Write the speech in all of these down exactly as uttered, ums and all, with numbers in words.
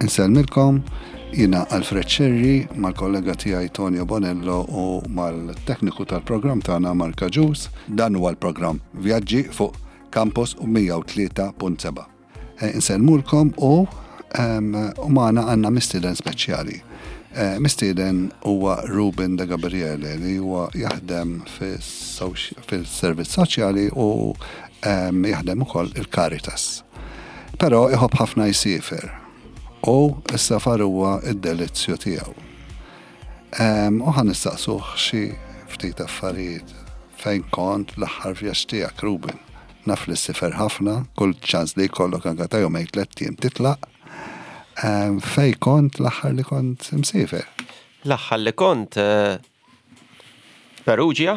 Insellmilkom, jiena Alfred Scerri mal-kollega tiegħi Tonio Bonello u mal-tekniku tal-programm tagħna Mark Agius. Dan huwa l-programm Vjaġġi fuq Campus mija u tlieta punt seba'. Eh, insellmulkom u, ehm, u magħna għandna mistieden speċjali. Eh, mistieden huwa Ruben De Gabriele li huwa jaħdem fis-soċ-, fis-servizz soċjali u, ehm, jaħdem ukoll il-Caritas. Però iħobb ħafna jsiefer u s-safar huwa id-delizzju tiegħu. Ehm, u ħa nistaqsuh xi ftit affarijiet. Fejn kont l-aħħar vjaġġ tiegħek, Ruben? Naf li ssifer ħafna, kull ċans li jkollok anke ta' jumejn tliet ijiem titlaq. Ehm, fejn kont l-aħħar li kont imsiefer? L-aħħar li kont, eh, Perugia,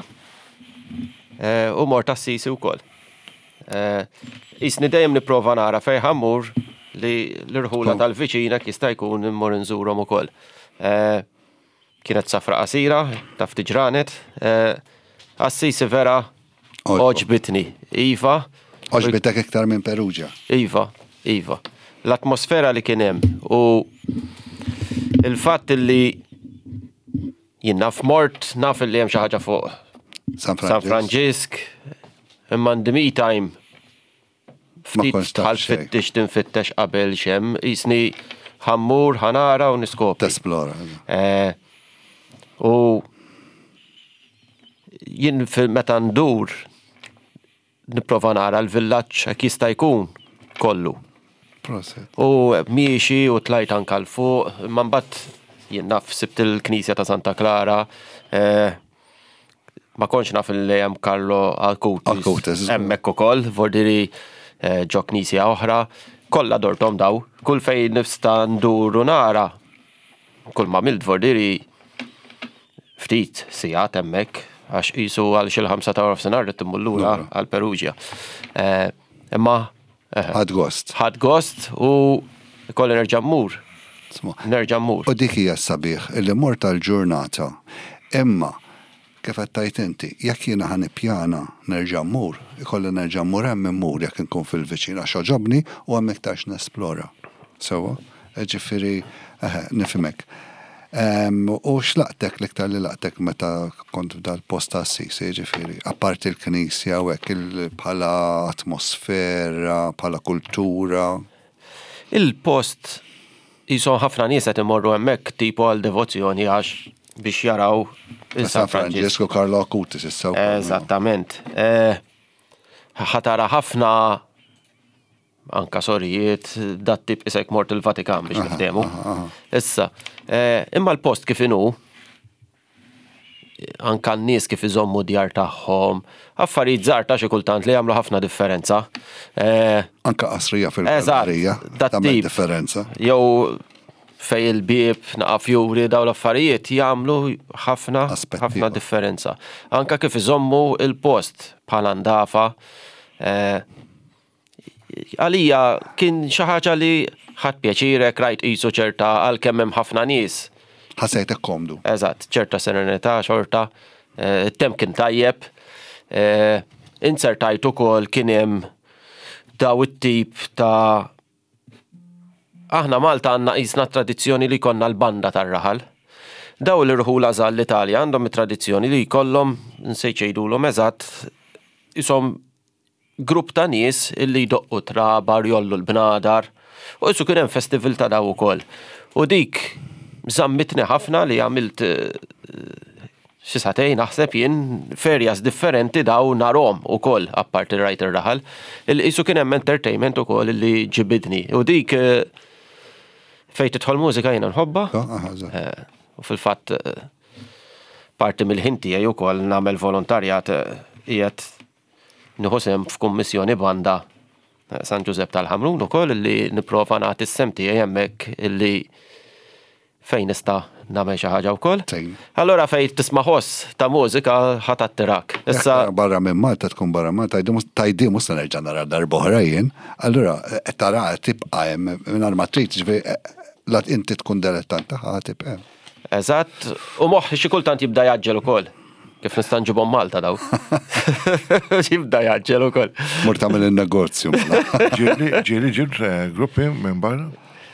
eh, u mort Assisi wkoll. Eh, isni dejjem nipprova nara fejn ħammur li l-irħula Kom. tal-viċina jista' jkun immur nżurhom ukoll. Eh, kienet safra qasira, taf tiġranet. Eh, Assisi vera Oġbok. oġbitni. Iva. Oġbitek iktar minn Perugia. Iva, iva. L-atmosfera li kien hemm u il-fatt li jien naf mort, naf li hemm xi ħaġa fuq San San Franġisk. Franġisk, imma in the meantime Ma ftit kontx taf tħall xejn. fittix tinfittex qabel xem, jisni ħammur, ħanara u niskopri. Tesplora, eżatt. Eh, u jien fil meta ndur nipprova nara l-villaġġ hekk jista' jkun kollu. Proset. U miexi u tlajt anka l fuq, imma mbagħad jien naf sibt il-Knisja ta' Santa Clara, eh, ma kontx naf li hemm Carlo Acutis. Acutis, Hemmhekk ukoll, vordiri, eh, ġo knisja oħra, kollha dortom daw, kull fejn nista' ndur u nara, kull ma milt vordiri ftit sigħat hemmhekk, għax qisu għal xi l-ħamsa ta' nofsinhar rrid immur lura Lura. għal Perugia. Eh, imma, eh, Ħadd gost. Ħadd gost u kolli nerġa' mmur. Sma. Nerġa' mmur. U dik hija s-sabiħ illi mort tal-ġurnata. Imma kif qed tgħid inti, jekk jiena ħa nippjana nerġa' mmur, ikolli nerġa' mmur hemm immur jekk inkun fil-viċin għax oġobni u hemm iktar x'nesplora. Sewwa? Ġifieri, eħe, nifhimek. Em, u x'laqtek l-iktar li laqtek meta kont f'dal-post ta' Assisi, ġifieri, apparti l-knisja u hekk il-, bħala atmosfera, bħala kultura? Il-post jisom ħafna nies qed imorru hemmhekk tipo għal devozzjoni għax biex jaraw il San San Franġisk. Franġisk u Carlo Acutis issa wkoll. Eżattament. Eh, ħatara ħafna anka sorijiet, dat tip isek mort il-Vatikan biex Aha, niftehmu. aha, aha. Issa, eh, imma l-post kif inhu, anka n-nies kif iżommu djar tagħhom, affarijiet żgħar ta' xi kultant li jagħmlu ħafna differenza. Eh, Anka qasrija Eżatt, fil-gallerija dat tagħmel tip. differenza. Jew fej il-bieb, naqa' fjuri, daw l-affarijiet jagħmlu ħafna, Aspetti ħafna ieħor. differenza. Anka kif iżommu il-post bħala ndafa. Eh, għalija kien xi ħaġa li ħadd pjaċirek, rajt qisu ċerta għalkemm hemm ħafna nies. Ħassejtek komdu. Eżatt, ċerta serenità, xorta. Eh, it-temp kien tajjeb. Eh, insertajt ukoll kien hemm daw it-tip ta' aħna Malta għandna qisna tradizzjoni li konna l-banda tar-raħal. Daw l-irħula żgħar l-Italja għandhom it-tradizzjoni li jkollhom, nsejt jgħidulhom eżatt, isom grupp ta' nies illi jdoqqu trabar, jollu l-bnadar, u qisu kien hemm festival ta' daw ukoll. U dik żammitni ħafna li għamilt, eh, xi sagħtejn naħseb jien ferjas differenti daw narhom ukoll apparti rajt ir-raħal. Il-qisu kien hemm entertainment ukoll li ġibidni. U dik, eh, fejn tidħol mużika jiena nħobbha. Ah, aha, eżatt. Eh, u fil-fatt, eh, parti mill-ħin tiegħi wkoll nagħmel volontarjat, eh, qiegħed nieħu sehem f'kummissjoni banda, eh, San Ġużepp tal-Ħamrun ukoll li nipprova nagħti s-sehem tiegħi hemmhekk illi Fejn nista' nagħmel xi ħaġa wkoll. Tejn. Allora fejn tisma' ħoss ta' mużika ħa tattirak. Issa Barra minn Malta tkun barra Malta, tajdi mhux se nerġa' nara darb'oħra jien, allura qed tara tibqa' hemm mingħajr ma trid, ġifieri la inti tkun dilettant tagħha tibqa' hemm. Eżatt, u moħħi xi kultant jibda jgħaġġel ukoll. Kif nista' nġibhom Malta daw. Jibda jgħaġġel ukoll. Mur tagħmel in-negozju. mela. Ġieli ġieli ġibt eh, gruppi minn barra?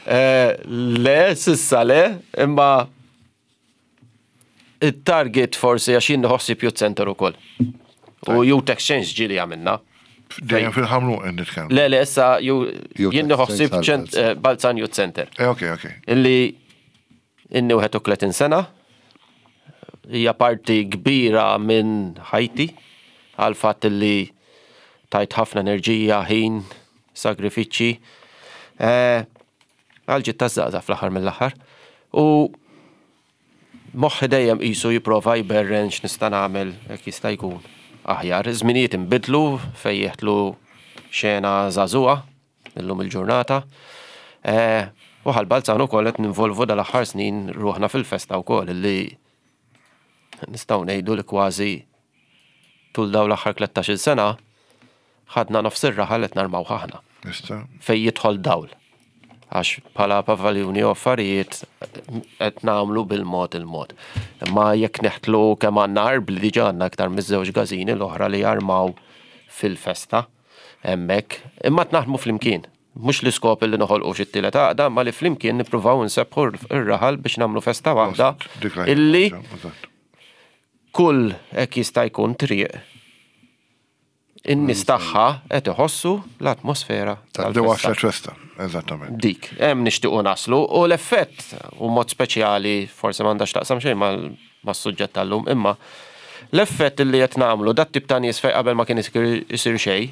Eh, Le, s'issa le, imma il-target forsi għax jien nħossib youth center ukoll. U youth exchange ġieli għamilna. Dejjem fil-Ħamrun qed nitkellem. Le, le, issa ju- Youth jien nħossib exchange ċent- eh, Balzan Youth Center. Eh, ok, ok. Illi inni wieħed u tletin sena, hija parti kbira minn ħajti għal fatt li tajt ħafna enerġija, ħin, sagrifiċċji. Eh, Għal ġid taż-żgħażagħ fl-aħħar mill-aħħar. U moħħi dejjem qisu jipprova jberren x'nista' nagħmel hekk jista' jkun aħjar. Żminijiet inbidlu fejn jeħtlu xena żagħżugħa illum il-ġurnata. Eh, U Ħal Balzan ukoll qed ninvolvu dal-aħħar snin ruħna fil-festa wkoll illi nistgħu ngħidu li kważi tul daw l-aħħar tlettax-il sena ħadna nofs ir-raħal qed narmaw aħna Nista. fej jidħol dawl. Għax bħala pavaljuni u affarijiet qed nagħmlu bil-mod il-mod. Imma jekk neħtlu kemm għandna arbli, diġà għandna aktar miż-żewġ każini l-oħra li jarmaw fil-festa hemmhekk. Imma naħdmu flimkien. Mhux l-iskop li noħolqu xi tielet għaqda, ma li flimkien nippruvaw nsebbħu r-raħal biex nagħmlu festa waħda Dik la- illi Eżatt. kull hekk jista' jkun triq in-nies tagħha qed iħossu l-atmosfera Di tal-festa. waslet festa, eżattament. Dik, hemm nixtiequ naslu u l-effett u mod speċjali forsi m'għandax taqsam xejn mal- mas-suġġett tal-lum, imma l-effett li qed nagħmlu dat tip ta' nies fejn qabel ma kien isir isir xejn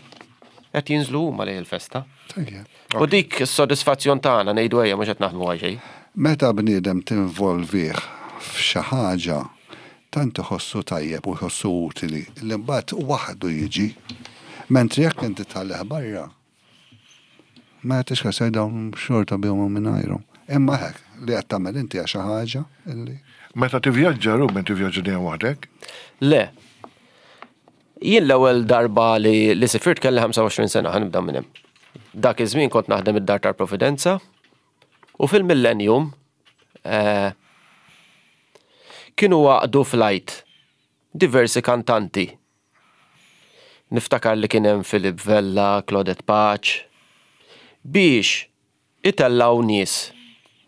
qed jinżlu huma lejn il-festa. Tajjeb. U dik is-sodisfazzjon tagħna ngħidu ejja mhux qed naħdmu għal xejn. Meta bniedem tinvolvih f'xi ħaġa tant iħossu tajjeb u jħossu utili li mbagħad waħdu jiġi. Mentri jekk inti tħallih barra, ma jagħtix kas dawn xorta bihom u mingħajrhom. Imma hekk li qed tagħmel inti għal xi ħaġa illi Meta tivvjaġġa, Ruben, tivvjaġġa dejjem waħdek? Le. Jien l-ewwel darba li, li sifirt kelli ħamsa u għoxrin sena, ħa nibda minn hemm. Dak iż-żmien kont naħdem id-Dar tal-Providenza u fil-Millennium eh, kienu għaqdu flight diversi kantanti. Niftakar li kien hemm Philip Vella, Claudette Pace, biex itellaw nies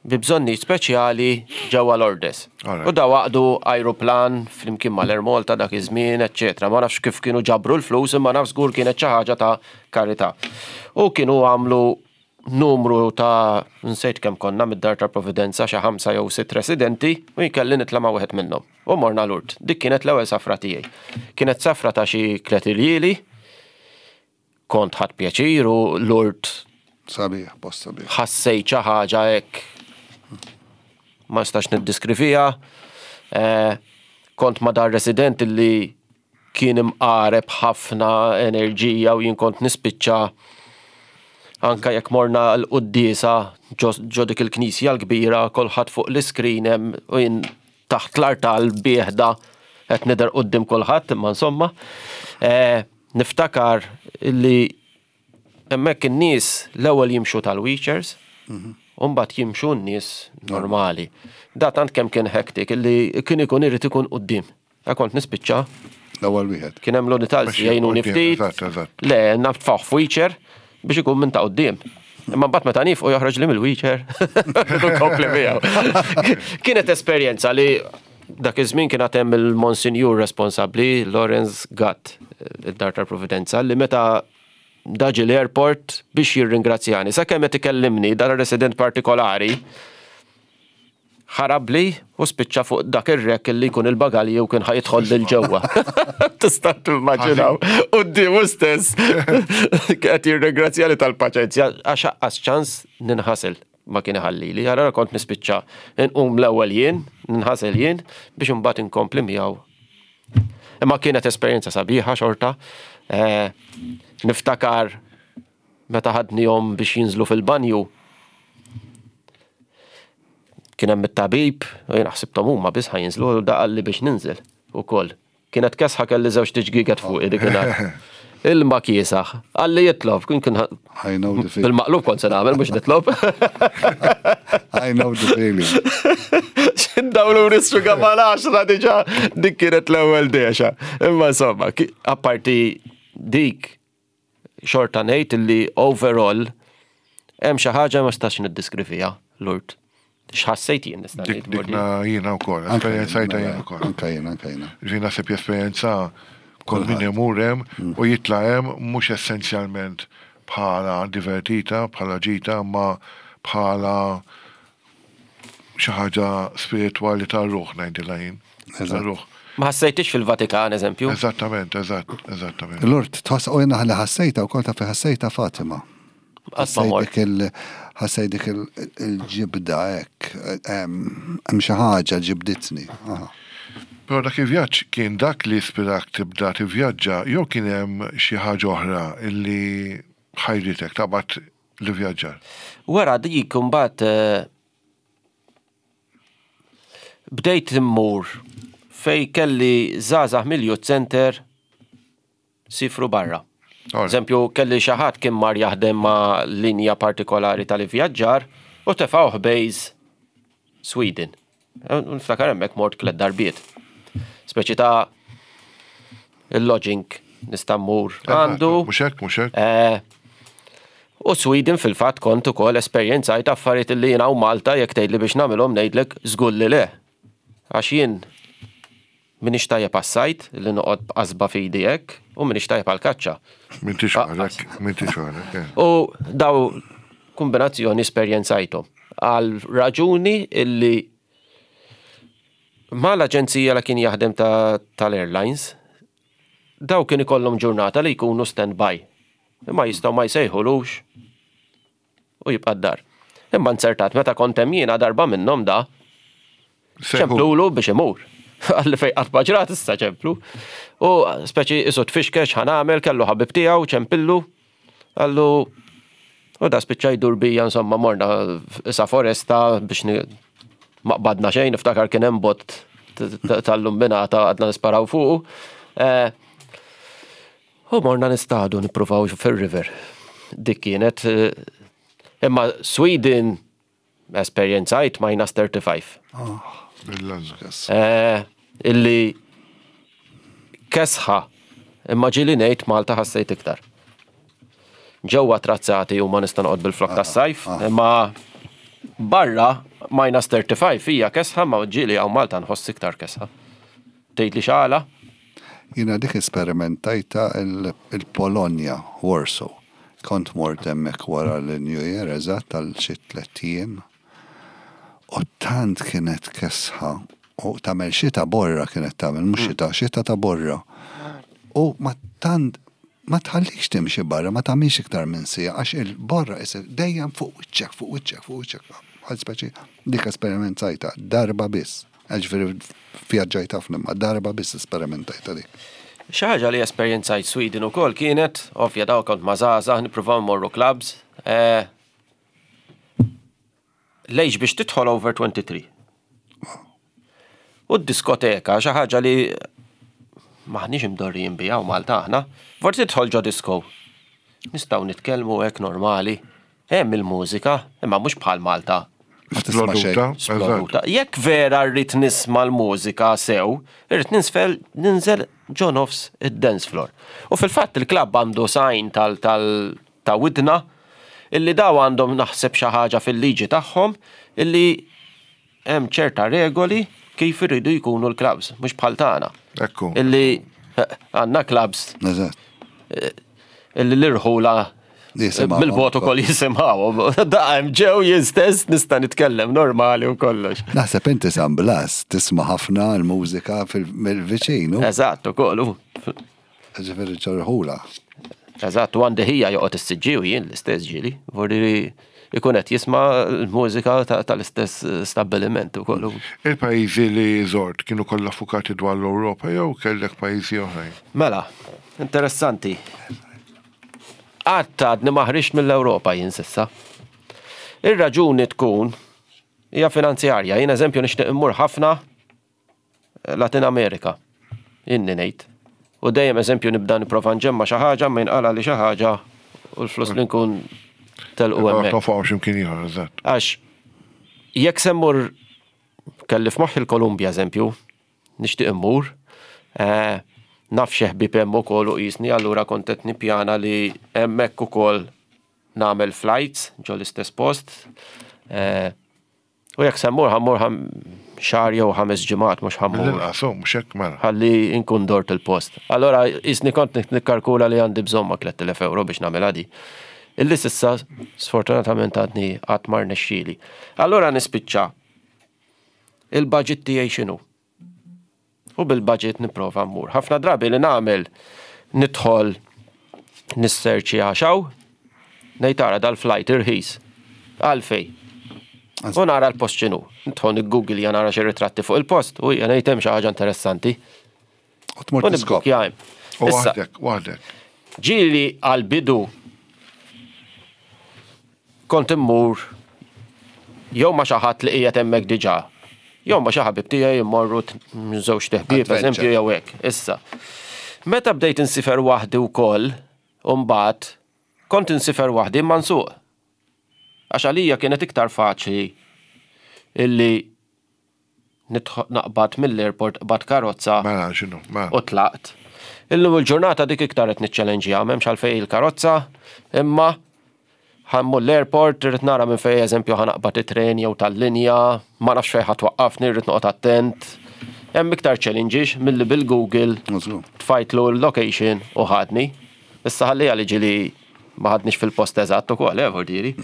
bi bżonnijiet speċjali ġewwa Lourdes. Alright. U daw għaqdu aeroplan flimkien mal-Air Malta dak iż-żmien, eċċetera. Ma nafx kif kienu ġabru l-flus, imma naf żgur kienet xi ħaġa ta' karità. U kienu għamlu numru ta' nsejt kemm konna mid-Dar ta' Providenza, xi ħamsa jew sitt residenti, u jkelli nitla' ma' wieħed minnhom. U morna Lourdes. Dik kienet l-ewwel safra tiegħi. Kienet safra ta' xi tliet iljieli, kont ħadt pjaċir u Lourdes sabiħ, post sabiħ. Ħassejt xi ħaġa hekk ma nistax niddiskrivija. Eh, kont ma dar resident li kien imqareb ħafna enerġija u jien kont nispiċċa anka jekk morna l-quddiesa ġo ġo dik il-knisja l-kbira, kulħadd fuq l-iskrin hemm u jien taħt l-artal bieħda qed nidher quddiem kulħadd, imma insomma. Eh, niftakar li hemmhekk in-nies l-ewwel jimxu tal-wheelchairs, u mbagħad jimxu n-nies normali. Da tant kemm kien hectic illi kien ikun irid ikun quddiem. Da kont nispiċċa L-ewwel wieħed. Kien hemm l-unità Biex jgħinuni quddiem, ftit. eżatt, eżatt. Le, naffaħ f'wheelchair biex ikun minn ta' quddiem. Imma mbagħad meta nifqu joħroġ li mill-wheelchair. Nkompli miegħu. Kienet esperjenza li dak iż-żmien kien hemm il-Monsinjur responsabbli Lawrence Gatt, id-Dar tal-Providenza, li meta daġi l-airport biex jirringrazzjani. Sakemm qed ikellimni dan resident partikolari ħarabli u spiċċa fuq dak ir-rack li jkun il-bagalji u kien ħa jidħol lil ġewwa. Tista' timmaġinaw. Quddiemu stess. Qed jirringrazzjani tal-paċenzja għax aqqas ċans ninħasel ma kien iħallili. Allora kont nispiċċa nqum l-ewwel jien, ninħasel jien biex imbagħad inkompli miegħu. Imma kienet esperjenza sabiħa xorta. Eh, niftakar meta ħadnihom biex jinżlu fil-banju. Kien hemm it-tabib, u jien ħsibthom huma biss ħa jinżlu, u da qalli biex ninżel ukoll. Kienet kesħa, kelli żewġ tiġgiget fuq dik. Ilma kiesaħ. Qalli jitlob, kien kien I know the feeling. Bil-maqlub kont se nagħmel, mhux nitlob. I know the feeling. Dawlu nissu għamal għaxra diġà, dik kienet l-ewwel dexa. Imma insomma, ki- apparti dik, xorta ngħid li overall hemm xi ħaġa ma stax niddiskrivija, Lourdes. X'ħassejt jien nista' Dik ngħid. Dikna jiena wkoll, esperjenzajta jien ukoll. Anka jien, anka jiena. Ġi naħseb jesperjenza kull min imur hemm u jitla' hemm mhux essenzjalment bħala divertita, bħala ġita, ma bħala xi ħaġa spiritwali tar-ruħ, ngħidilha jien. Tar-ruħ. Ma ħassejtix fil-Vatikan, eżempju. Eżattament, eżatt, eżattament. Lourdes, tħoss u jena li ħassejta u kol ta' fi ħassejta Fatima. Qatt ma mort. Ħassejt dik il- ħassejt dik il- il-ġibda hekk, hemm xi ħaġa ġibditni. Aha. Però dak il-vjaġġ kien dak li ispirak tibda tivvjaġġa jew kien hemm xi ħaġa oħra illi ħajritek taqbad li vjaġġar? Wara dik imbagħad eh, bdejt immur fej kelli żgħażagħ mill-youth center sifru barra. Eżempju, kelli xi ħadd kien mar jaħdem ma' linja partikolari tal-ivvjaġġar u tefgħuh base Sweden. Eh, Niftakar hemmhekk mort tliet darbiet. Speċi ta' il-lodging nista' mmur għandu. Mhux hekk, mhux hekk. Eh, U Sweden fil-fatt kont ukoll esperjenzajt affarijiet li jiena u Malta jekk tgħidli biex nagħmilhom, ngħidlek żgur li le. Għax jien minix tajjeb għas-sajd, li noqgħod b'qasba f'idi hekk, u minix tajjeb għal-kaċċa. M'intix għalek, m'intix għalek. eh. U daw kombinazzjoni esperjenzajthom. Għal raġuni illi ma l-aġenzija li kien jaħdem ta' tal-airlines, daw kien ikollhom ġurnata li jkunu stand-by. Imma jistgħu ma jsejħulux u jibqa' d-dar. Imma nzertat meta kont hemm jiena darba minnhom da ċemplulu biex imur. Għalli fej qatt ma ġrat issa ċemplu. U speċi isu tfixkex ħa nagħmel, kellu ħabib tiegħu ċempillu. Għallu u da spiċċa jdur bija, insomma morna isa foresta biex ni- ma qbadna xejn, niftakar kien hemm bot t- t- tal-lumbinata għadna nisparaw fuqu. Eh, U morna nistadu nippruvaw fil-river. Dik kienet eh, imma Sweden esperjenzajt minus thirty-five. Bil-lanza. Eh, illi kesħa, imma ġieli ngħid Malta ħassejt iktar. Ġewwa trazzati u ma nista' noqgħod bil-flok tas-sajf, imma barra minus thirty-five hija kesħa, ma ġieli hawn Malta nħoss iktar kesħa. Tgħid li xala? Jina dik esperimentajta il- il-Polonja, Warsaw. Kont mort hemmhekk wara l-New Year, eżatt tal xi tlett ijiem. U tant kienet kesħa u tagħmel xita borra kienet tagħmel, mhux xita, xita ta' borra. U ma tant ma tħallikx timxi barra, ma tagħmilx iktar minn siegħa għax il-borra isir dejjem fuq wiċċek, fuq wiċċek, fuq wiċċek. Għal speċi dik esperimentajta darba biss. Ġifieri vjaġġajt ħafna, ma darba biss esperimentajta dik. Xi ħaġa li esperjenzajt Sweden ukoll kienet, ovvja daw kont ma' żgħażagħ nippruvaw mmorru clubs. Eh, Lejx biex tidħol over twenty-three. U d-diskoteka, xi ħaġa li maħniex imdorrijin biha u Malta aħna, forsi tidħol ġo disco. Nistgħu nitkellmu hekk normali. Hemm il-mużika, imma mhux bħal Malta. Ma tisma' xejn. Sploduta, eżatt. Sploduta. Jekk vera rrid nisma' l-mużika sew, irrid ninsfel ninżel ġo nofs id-dance floor. U fil-fatt il-klabb għandu sign tal tal ta' widna illi daw għandhom naħseb xi ħaġa fil-liġi tagħhom illi hemm ċerta regoli kif iridu jkunu l-clubs, mhux bħal tagħna. Ekku. Illi eh, għandna clubs Eżatt. illi l-irħula Jisimgħu. mill-bot ukoll jisimgħu. Da hemm ġew jien stess nista' nitkellem normali u kollox. Naħseb inti San Blas tisma' ħafna l-mużika fil-viċin, u Eżatt ukoll. u. Ġifieri ċorħula. Eżatt, u għandi ħija joqgħod is-siġġi u jien l-istess ġieli. Vorri ikun qed jisma' l-mużika ta- tal-istess stabbiliment ukoll. Il-pajjiżi li żort kienu kollha fukati dwar l-Ewropa jew kellek pajjiżi oħrajn? Mela, interessanti. Qatt għadni ma ħriġt mill-Ewropa jien s'issa. Ir-raġuni tkun Hija finanzjarja. Jien eżempju nixtieq immur ħafna Latin Amerika. Inni ngħid. U dejjem eżempju nibda nipprova nġemma xi ħaġa, ma jinqala li xi ħaġa u l-flus li nkun telqu hemmhekk. Tonfoqhom x'imkien ieħor, eżatt. Għax jekk se mmur, kelli f'moħħi l-Kolumbja eżempju, nixtieq immur, eh, naf xi ħbieb hemm ukoll u qisni, allura kont qed nippjana li hemmhekk ukoll nagħmel flights ġo l-istess post. Eh, U jekk se mmur, ħa mmur ħam xahar jew ħames ġimgħat, mhux ħa mmur. Mill-inqas, oh, mhux hekk mela. Ħalli nkun dort il-post. Allora, jisni kont nikkalkula li għandi bżonn ma' tliet elef euro biex nagħmilha di. Illi s'issa, sfortunatament, għadni qatt ma rnexxieli. Allora nispiċċa. Il-budget tiegħi x'inhu? U bil-budget nipprova mmur. Ħafna drabi li nagħmel, nidħol nisserċi għaxaw, ngħid tara dal-flight irħis. Għalfej. U nara l-post x'inhu. Nidħol Google ja nara xi ritratti fuq il-post u jgħan ngħid hemm xi ħaġa interessanti. U tmur U tiskop. nibbukkja hemm. U Issa, waħdek, waħdek. ġieli għal-bidu kont immur jew ma xi ħadd li qiegħed hemmhekk diġà. Jew ma xi ħabib tiegħi immorru t- żewġ teħbieb Adventure. eżempju jew hekk. Issa. Meta bdejt insifer waħdi wkoll, u mbagħad kont insifer waħdi imma nsuq. Għax għalija kienet iktar faċli illi nidħol naqbad mill-airport, qbad karozza Mela, x'inhu, mela. u tlaqt. Illum il-ġurnata dik iktar qed niċċellenġija, m'hemmx għalfejn il-karozza, imma ħa mmur l-airport, irrid nara minn fejn eżempju ħa naqbad it-tren jew tal-linja, ma nafx fejn ħa twaqqafni, irrid noqgħod attent. Hemm iktar challenges milli bil-Google Mażlu. tfajtlu l-location u ħadni. Issa ħalli għalli ġili ma ħadnix fil-post eżatt ukoll, eh, vordiri.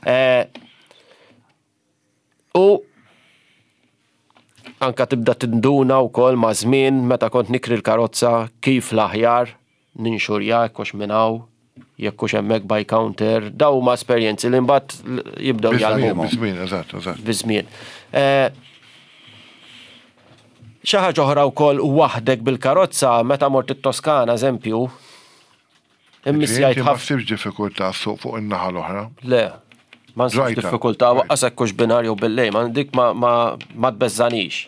Eh, U anka tibda tinduna wkoll ma' żmien meta kont nikri l-karozza kif l-aħjar ninxurja, jekk hux minn hawn, jekk hux hemmhekk by counter, daw huma esperjenzi li mbagħad jibdew Biż-żmien, jgħallmu biż-żmien, eżatt, eżatt. biż-żmien. Eh, Xi ħaġa oħra wkoll waħdek bil-karozza meta mort it-Toskana eżempju, immissjajt Inti ma ħafna. ssibx diffikultà ssuq fuq in-naħa l-oħra. Le, ma nsibx Rajta. diffikultà, waqqas hekk hux binhar jew billejl, ma dik ma, ma, ma tbeżżanix.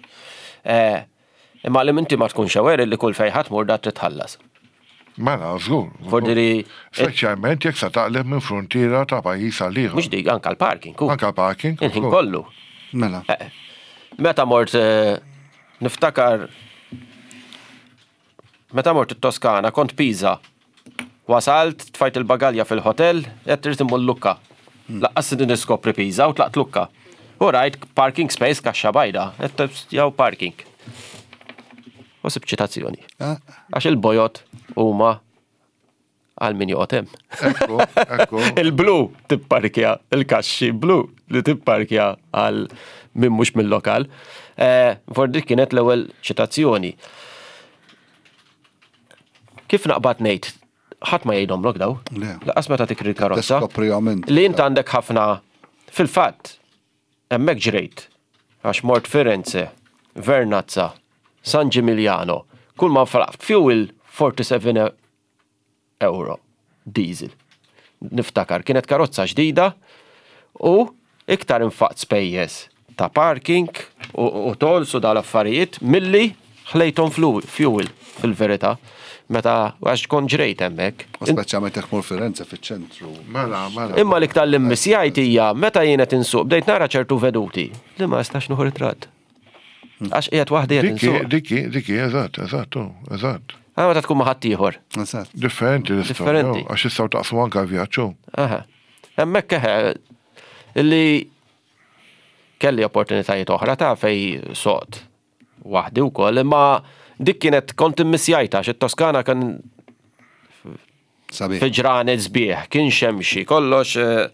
Eh, Imma li minti ma tkunx aware li kull fejn ħa tmur da titħallas. Mela, żgur. Vordiri, Speċjalment jekk sa taqleb minn frontiera ta' pajjiż għal ieħor. mhux dik, anka l-parking, ku. Anka parking. Il-ħin żgur. kollu. Mela. Eh, Meta mort eh, niftakar meta mort it-Toskana kont Pisa. Wasalt, tfajt il-bagalja fil-hotel, qed trid immur Lucca. Lanqas niskopri Pisa u tlaqt Lucca. U rajt parking space kaxxa bajda, qed jew parking. U sib ċitazzjoni. Ah, Għax il-bojod huma għal min joqgħod hemm. Ekku, ekku. Il-blu tipparkja, il-kaxxi blu li tipparkja għal min mhux mill-lokal. Eh, For dik kienet l-ewwel ċitazzjoni. Kif naqbad ngħid, ħadd ma jgħidhomlok daw. Le. Lanqas meta tikri l-karozza. Tiskoprihom inti. Li int għandek ħafna fil-fatt hemmhekk ġrejt għax mort Firenze, Vernazza, San Gimignano, kull ma nfaqt fuel erbgħa u sebgħin euro diesel. Niftakar, kienet karozza ġdida u iktar infaqt spejjeż ta' parking u, u tolls u dal-affarijiet milli ħlejthom flu- fuel fil-verità meta għax kont ġrejt hemmhekk. U speċjalment jekk mur Firenze fiċ-ċentru. Mela, mela. Imma l-iktar li mmissjajt hija meta jien qed insuq bdejt nara ċertu veduti li ma nistax nieħu ritratt. Għax qiegħed waħdi qed Dikki, insuq. dikki, dikki, eżatt, eżatt, oh, eżatt. Għana meta tkun ma' ħaddieħor. Eżatt. Differenti l-istorja. Differenti. Għax jistgħu taqsmu anka vjaġġu. Aha. Hemmhekk eħe illi kelli opportunitajiet oħra ta' fej soqt waħdi wkoll, imma dik kienet kont immissjajta għax it-Toskana kien Sabiħ. fi ġranet sbieħ, kien xemxi, kollox eh,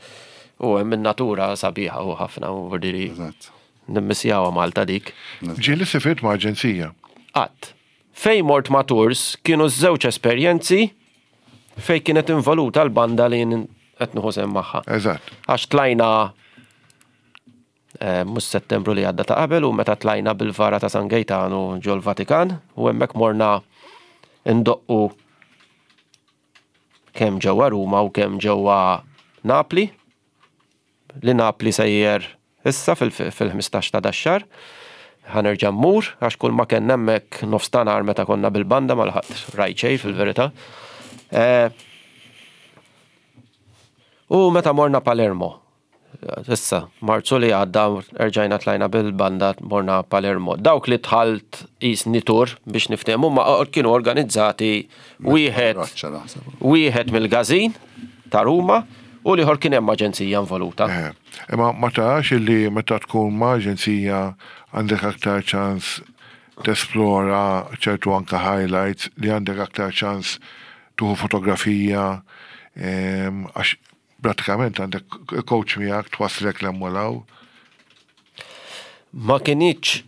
u hemm in-natura sabiħa u ħafna u vordiri Eżatt. nimmissjawha Malta dik. Ġieli sifirt ma' aġenzija. Qatt. Fej mort ma' tours kienu żewġ esperjenzi fej kienet involuta l-banda li jien qed nieħu sehem magħha. Eżatt. Għax tlajna eh, mhux Settembru li għadda, ta' qabel, u meta tlajna bil-vara ta' San Gaetano ġol Vatikan u hemmhekk morna ndoqqu kemm ġewwa Ruma u kemm ġewwa Napli. Li Napli sejjer issa fil-ħmistax ta' dax-xahar. Ħa nerġa' mmur, għax kull ma kellna hemmhekk nofs ta' nhar meta konna bil-banda ma laħaqt rajt xejn fil-verità. Eh, u meta morna Palermo, issa, Marzu li għadda erġajna tlajna bil-banda morna Palermo. Dawk li dħalt qisni tour biex niftehmu ma kienu organizzati wieħed wieħed mill-Gazin ta' Ruma u l-ieħor kien hemm aġenzija involuta. Eh, imma ma tarax illi meta tkun ma' aġenzija għandek aktar ċans tesplora ċertu anka highlights li għandek aktar ċans tieħu fotografija għax pratikament għandek coach miegħek twasslek 'l hemm u 'l hawn. Ma kinitx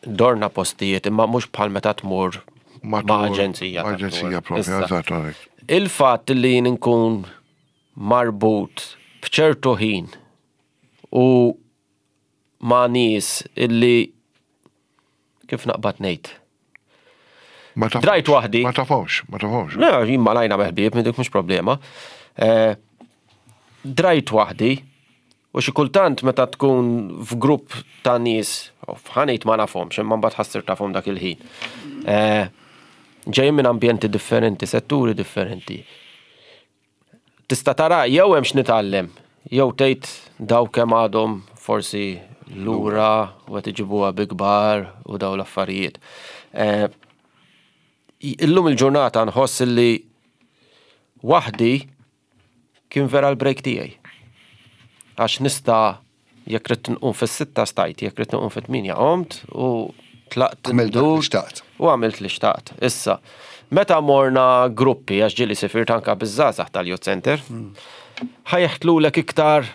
dorna postijiet imma mhux bħal meta tmur ma' aġenzija. Aġenzija propja, eżatt. Il-fatt li jien nkun marbut b'ċertu ħin u ma' nies illi kif naqbad ngħid. Drajt waħdi. Ma tafhomx, ma tafhomx. Le, jien malajna meħbieb, minn dik mhux problema. Eh, drajt waħdi u xi kultant meta tkun f'grupp ta' nies, ħa ngħid ma nafhomx, imma mbagħad ħa ssir tafhom dak il-ħin. Eh, ġejjin minn ambjenti differenti, setturi differenti. Tista' tara jew hemm x'nitgħallem, jew tgħid daw kemm għadhom forsi lura u qed iġibuha bi kbar u daw l-affarijiet. Eh, illum il-ġurnata nħoss li waħdi kien vera l-break tiegħi. Għax nista' jekk ridt nqum fis-sitta stajt, jekk ridt nqum fit-tmienja qomt u tlaqt Għamilt dak li xtaqt. U għamilt li xtaqt. Issa, meta morna gruppi, għax ġieli sifirt anka biż-żgħażagħ tal-Youth Center, ħa jeħtlulek iktar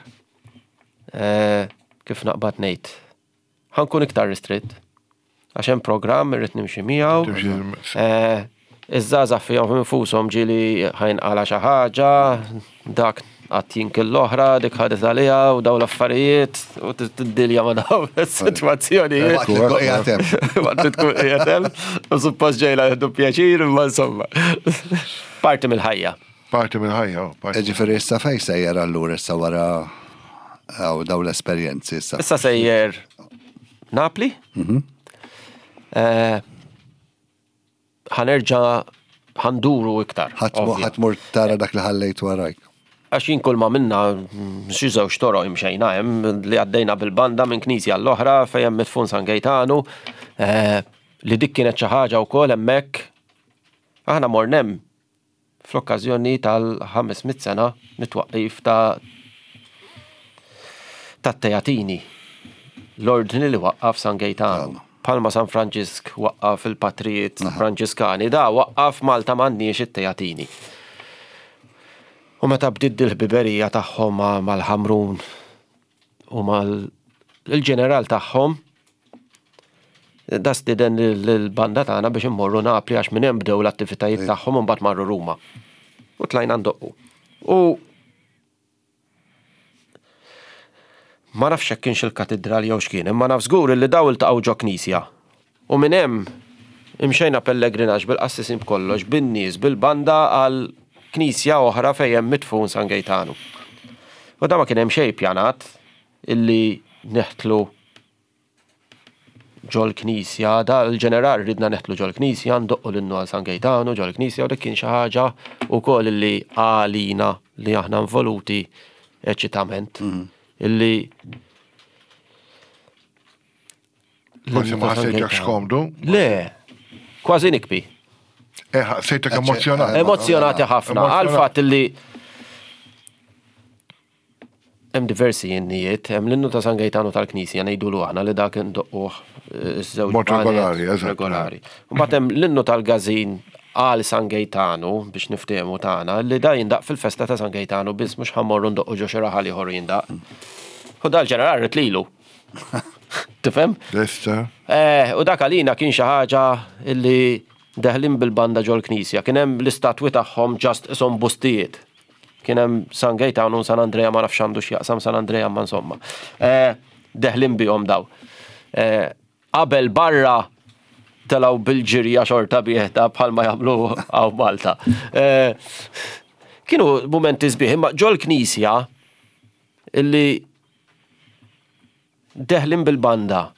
eh, kif naqbad ngħid. Ħa nkun iktar ristritt. Għax hemm programm irrid nimxi miegħu. Timxi- Eh, Iż-żgħażagħ fihom infushom ġieli ħa jinqala' xi ħaġa, dak qatt jinkil l-oħra, dik ħadet għaliha u daw l-affarijiet u tiddilja ma' daw is-sitwazzjonijiet. Waqt li tkun qiegħed hemm. Waqt li tkun qiegħed hemm, u suppost ġejla jieħdu pjaċir, imma insomma. Parti mill-ħajja. Parti mill-ħajja. oh, parti. Ġifieri issa fejn sejjer allura issa wara għaw daw l-esperjenzi issa. Issa sejjer Napli. Eh, Ħa nerġa' ħa nduru iktar. Ħa tmur ovvja. ħa tmur tara dak li ħallejt warajk. Għax jien kull ma minna mm, xi żewġ toroq imxejna hemm li għaddejna bil-banda minn knisja l-oħra fejn hemm midfun San Gejtanu, eh, li dik kienet xi ħaġa wkoll hemmhekk. Aħna morna hemm fl-okkażjoni tal-ħames mitt sena mit-twaqqif ta' tat-Teatini, l-ordni li waqqaf San Gejtanu. Palma San Franġisk waqqaf il-patrijiet Franġiskani, da waqqaf Malta m'għandniex it-Teatini. U meta bdiet il-ħbiberija tagħhom ma- mal-Ħamrun u mal-ġeneral tagħhom, da stieden l-banda tagħna biex immorru Napli għax minn hemm bdew l-attivitajiet tagħhom u mbagħad marru Ruma. U tlajna ndoqqu. U ma nafx hekk kienx il-katedral jew x'kien, imma naf żgur li daw iltaqgħu ġo knisja. U minn hemm imxejna pellegrinaġġ bil-qassisin b'kollox, bin-nies, bil-banda għal knisja oħra fejn hemm midfun San Gejtanu. U da ma kien hemm xejn pjanat illi neħtlu ġol-knisja, da l-ġeneral ridna neħtlu ġol-knisja, ndoqqu l-innu għal San Gejtanu ġol-knisja, u dik kien xi ħaġa wkoll illi għalina li aħna involuti eċitament. Illi Forsi ma ħassejtekx komdu. Le, kważi nikbi. Eh, ħassejtek emozjonat. Emozjonati ħafna, Emozjonat. għal fatt illi hemm diversi innijiet, hemm l-innu ta' San Gejtanu tal-Knisja ngħidulu aħna li dak indoqquh eh, iż-żewġ Mod banet regolari, eżatt. regolari. Mbagħad hemm l-innu tal-Gazin għal San Gejtanu biex niftehmu tagħna li da jindaq fil-festa ta' San Gejtanu biss mhux ħa mmorru ndoqqu ġo xi raħal ieħor jindaq. U dal-ġeneral rid lilu. Tifhem? Lesta. Eh, u dak għalina kien xi ħaġa illi deħlin bil-banda ġol-knisja. Kien hemm l-istatwi tagħhom ġast ishom bustijiet. Kien hemm San Gejtanu u San Andrea ma nafx għandu x'jaqsam San Andrea ma insomma. Eh, deħlin bihom daw. Eh, qabel barra telgħu bil-ġirja xorta bieħta bħalma jagħmlu hawn Malta. Eh, kienu mumenti sbieħ, imma ġol-knisja illi Deħlin bil-banda.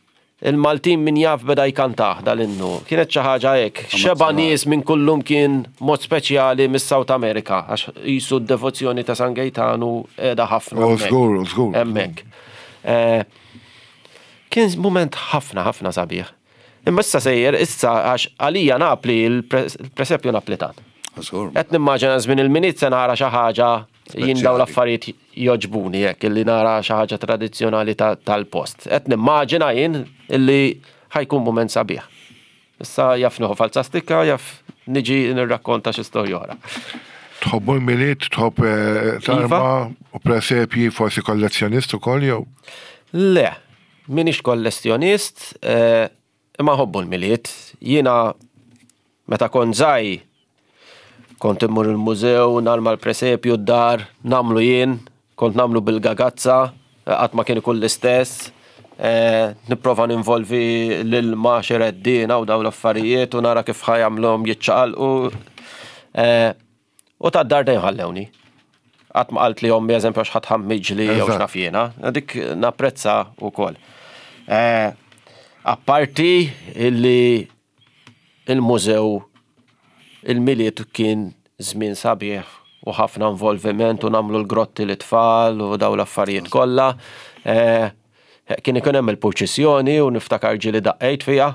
Il-Maltin min jaf beda jkantah dal-innu. Kienet xi ħaġa hekk. Xeba nies minn kullum kien mod speċjali mis-South America, għax jisu d-devozzjoni ta' San Gaetanu qiegħda ħafna. Oh, hemmhekk. Żgur, żgur. Hemmhekk. Eh, Kien moment ħafna ħafna sabiħ. Imma issa sejjer, issa għax għalija Napli, il-presepju Naplitan. Żgur. Qed nimmaġina żmien il-Milied se nara xi ħaġa, jien dawn l-affarijiet joġbuni hekk, illi nara xi ħaġa tradizzjonali ta- tal-post. Qed nimmaġina jien illi ħa jkun mument sabiħ. Issa jaf nieħu falza stikka, jaf niġi nirrakkonta xi storja oħra. Tħobbu l-Milied, tħobb eh, tarma u presepji, forsi kollezzjonist ukoll jew? Le, minix kollezzjonist, eh, imma nħobbu l-Milied. Jiena meta kont żgħir kont immur il-mużew, narma l-presepju d-dar, nagħmlu jien, kont nagħmlu bil-gagazza, qatt ma kien ikun l-istess. Eh, nipprova ninvolvi l-ilma xi reddina u daw l-affarijiet u nara kif ħa jagħmluhom jiċċaqalqu. Eh, u ta' dar dejjem ħallewni. Qatt ma qalt li ommi, eżempju, għax ħadd ħammiġli jew Eżatt. x'naf jiena. Dik napprezza wkoll. Eh, Apparti illi il-mużew il-Milied kien żmien sabiħ u ħafna involviment u nagħmlu l-grotti l-tfal u daw l-affarijiet kollha. Eh, Kien ikun hemm il-purċissjoni u niftakar ġieli daqqejt fiha,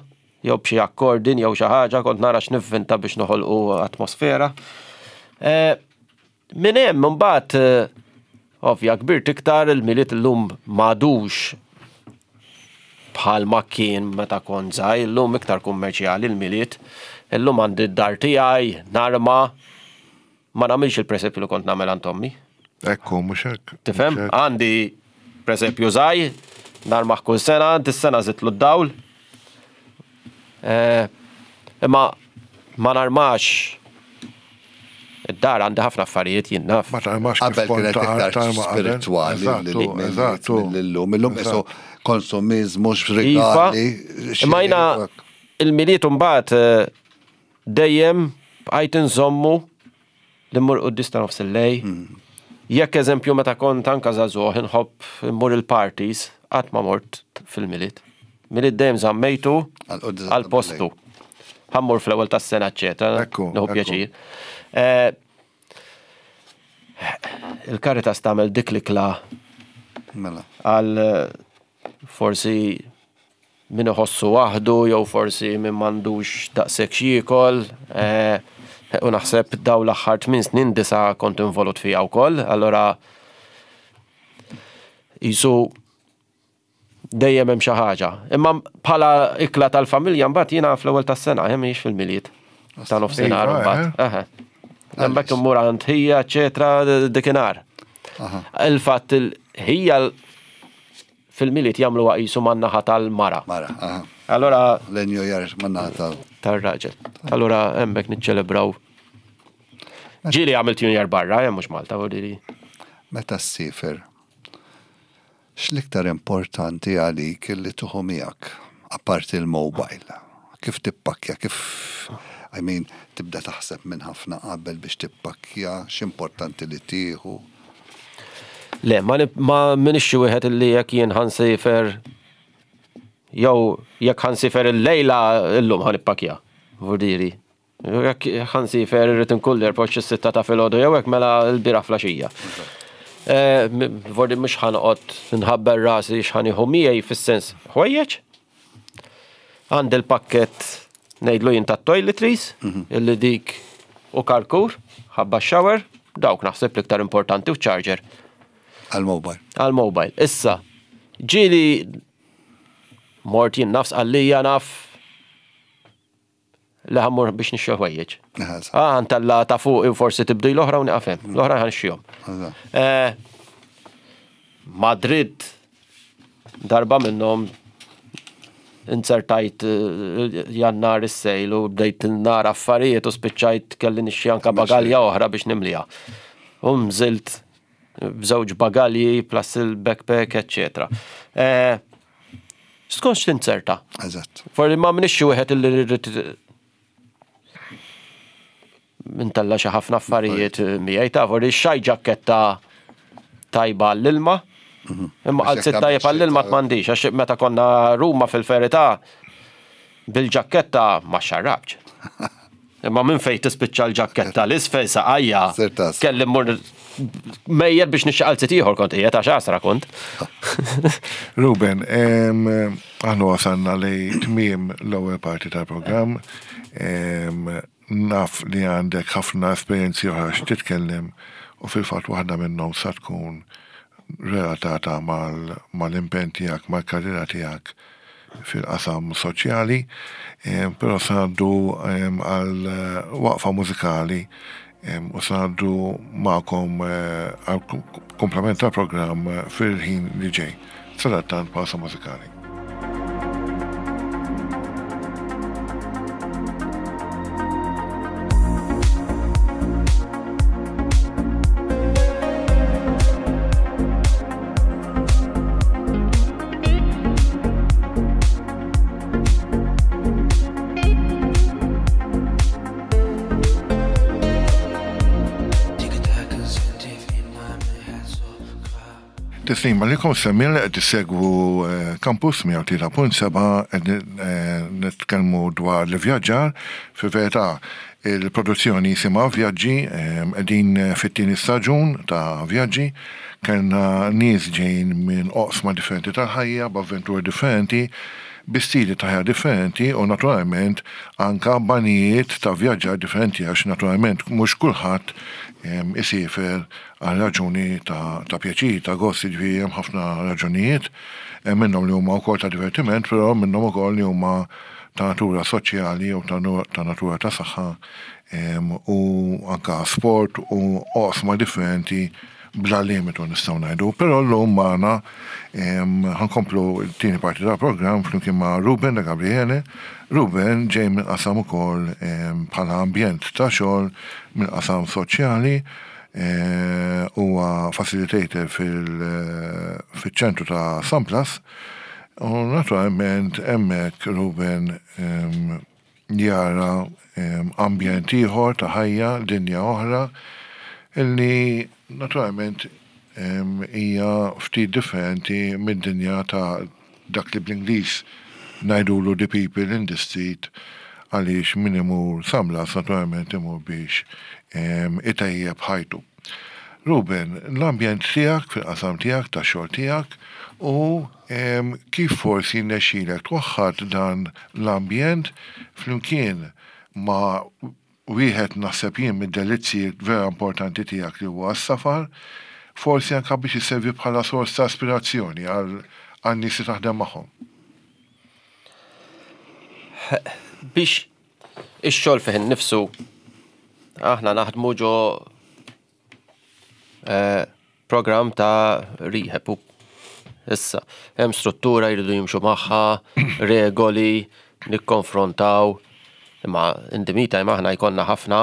jew b'xi akkordin jew xi ħaġa, kont nara x'nivvinta biex noħolqu atmosfera. Eh, Minn hemm imbagħad eh, ovvja kbirt iktar, il-Milied illum m'għadux bħal ma kien meta kont żgħir, illum iktar kummerċjali l-Milied. Illum għandi d-dar tiegħi, narma, ma nagħmilx il-presepju li kont nagħmel għand ommi. Ekku, mhux hekk. Tifhem? Mhux hekk. Għandi presepju żgħir, narmaħ kull sena, dis-sena żidtlu d-dawl. Eh, Imma ma narmax id-dar, għandi ħafna affarijiet, jien naf. Ma tarmax kif Qabel kont kienet iktar tarma qabel. spirituali Eżattu, eżattu. mill-lum. Illum isu konsumizmu, Iva, x'rigali. imma jiena il-Milied mbagħad eh, dejjem bqajt inżommu li mmur quddies ta' nofs il-lejl. Jekk eżempju meta kont anka żagħżugħ inħobb immur il-parties, qatt ma mort fil-Milied. Milied dejjem żammejtu Għal-quddies għal postu. Ħa mmur fl-ewwel tas-sena, eċetera. Ekku, Nieħu ekku. pjaċir. Eh, Il-Caritas tagħmel dik l-ikla Mela. għal eh, forsi min iħossu waħdu jew forsi min m'għandux daqshekk x'jiekol. eh, U naħseb daw l-aħħar tmien snin disa kont involut fija wkoll, allora jisu dejjem hemm xi ħaġa. Imma bħala ikla tal-familja mbagħad jiena fl-ewwel tas-sena, hemm mhijiex fil-Milied. Ta' nofsinhar Iva, mbagħad. Eħe. Hemmhekk immur għand ħija, eċetera, dikinhar. Aha. Il-fatt il-ħija fil-Milied jagħmlu qisu man-naħa tal-mara. Mara, aha. Allora L-New Year man-naħa tal. tar-raġel. Allora hemmhekk niċċelebraw. Ġieli għamilt New Year barra, hemm mhux Malta, vuol Meta ssiefer, x'l-iktar importanti għalik li tieħu miegħek, apparti il-mobile? Kif tippakkja, kif, I mean, tibda taħseb minn ħafna qabel biex tippakkja, x'importanti li tieħu? Le, ma, nib- ma minix xi wieħed illi jekk jien ħa nsiefer jew jekk ħa nsiefer il-lejla illum ħa nippakkja. Vurdiri. Jekk ħa nsiefer irrid inkun l-airport xi sitta ta' filgħodu jew hekk, mela l-bieraħ filgħaxija. Eh, m- Vordi mhux ħa noqgħod nħabber rasi x'ħa nieħu miegħi fis-sens ħwejjeġ. Għandi l-pakket ngħidlu jien tat-toiletries, illi dik u karkur, ħabba shower, dawk naħseb l-iktar importanti, u charger Għal-mobile. għal-mobile. Issa, ġieli mort jien nafs għallija naf li ħa mmur biex nixxu ħwejjeġ. Eżatt. Ah, ntella ta' fuq u forsi tibdi l-oħra u nieqaf hemm. L-oħra ħa nixxihom. Eżatt. Eh, Madrid darba minnhom insertajt eh, Jannar is-sale u bdejt nara affarijiet u spiċċajt kelli nixxi anka bagalja oħra biex nimlija. U nżilt b'żewġ bagalji plus il-backpack, eccetera. Eh, Skont x'tinzerta. Eżatt. Forsi ma minix xi wieħed illi rrid intella' xi ħafna affarijiet miegħi ta' forsi xaj ġakketta tajba għall-ilma. Imma qalzit tajjeb għall-ilma m'għandix, għax meta konna Ruma fil-verità bil-ġakketta ma xarrabx. Imma minn fejn tispiċċa l-ġakketta l-isfel saqajja. Kelli mmur mejjer biex nixxi qalzit ieħor kont qiegħed għax għasra kont. Ruben, aħna wasalna li tmiem l-ewwel parti tal-programm. Naf li għandek ħafna esperjenzi oħra x'titkellem u fil-fatt waħda minnhom sa tkun relatata mal-impenn tiegħek, mal-karriera tiegħek fil-qasam soċjali, però se ngħaddu għal waqfa mużikali u se ngħaddu magħkom għal komplement tal-programm fil-ħin li ġej. Sadattant pawsa mużikali. Tislima li kom semmil qed tissegwu Campus mija u tlieta punt seba' qed nitkellmu dwar l-ivvjaġġar. Fil-verità il-produzzjoni jisimha Vjaġġi, qegħdin fit-tieni staġun ta' Vjaġġi. Kellna nies ġejjin minn oqsma differenti tal-ħajja, b'avventuri differenti, bi stili ta' ħajja differenti u naturalment anka banijiet ta' vjaġġar differenti għax naturalment mhux kulħadd isiefer għal raġuni ta', ta' pjaċir, ta' gost, jiġifieri hemm ħafna raġunijiet, hemm minnhom li huma wkoll ta' divertiment, però minnhom ukoll li huma ta' natura soċjali jew ta', ta' natura ta' saħħa u anka sport u oqsma differenti bla limitu nistgħu ngħidu. Però llum magħna ħankomplu t-tieni parti tal-programm flimkien ma' Ruben da Gabriele. Ruben ġej minn qasam ukoll bħala ambjent ta' xogħol minn qasam soċjali, huwa facilitator fil-ċentru ta' San Blas u naturalment hemmhekk Ruben jara ambjent ieħor ta' ħajja, dinja oħra, illi naturalment hija ftit differenti mid-dinja ta' dak li bl-Ingliż ngħidulu the people in the street, għaliex min imur San Blas naturalment imur biex itejjeb ħajtu. Ruben, l-ambjent tiegħek fil-qasam tiegħek tax-xogħol tiegħek u kif forsi nexxielek twaħħad dan l-ambjent flimkien ma' wieħed naħseb jien mid-delizzji vera importanti tiegħek li huwa s-safar, forsi anke biex isservi bħala sors ta' aspirazzjoni għal nies li taħdem magħhom. Biex ix-xogħol fih innifsu aħna naħdmu ġo programm ta' rehab u issa hemm struttura jridu jimxu magħha, regoli, nikkonfrontaw. Imma in the meantime aħna jkollna ħafna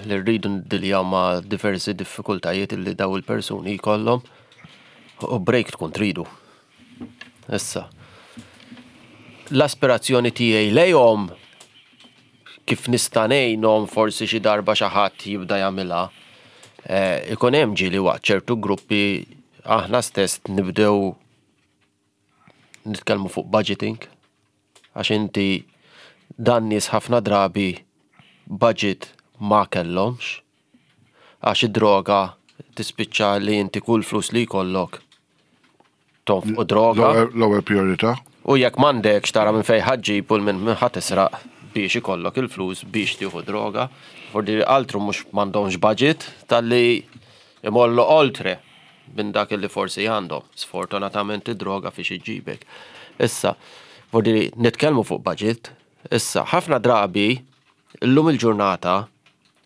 li rridu ndiljaw ma' diversi diffikultajiet li daw il-persuni jkollhom u break tkun tridu. Issa, l-aspirazzjoni tiegħi lejhom kif nista' ngħinhom forsi xi darba xi ħadd jibda jagħmilha, ikun hemm ġieli waqt ċertu gruppi aħna stess nibdew nitkellmu fuq budgeting, għax inti dan nies ħafna drabi budget ma kellhomx, għax id-droga tispiċċa li inti kull flus li jkollok tonfqu droga. L-ewwel priorità. U jekk m'għandekx tara minn fejn ħaġġib u minn minn ħadd tisraq biex ikollok il-flus biex tieħu droga. Fordi altru mhux m'għandhomx budget talli imollu oltre minn dak li forsi għandhom. Sfortunatament id-droga fiex iġibek. Issa, fordi nitkellmu fuq budget. Issa, ħafna drabi illum il-ġurnata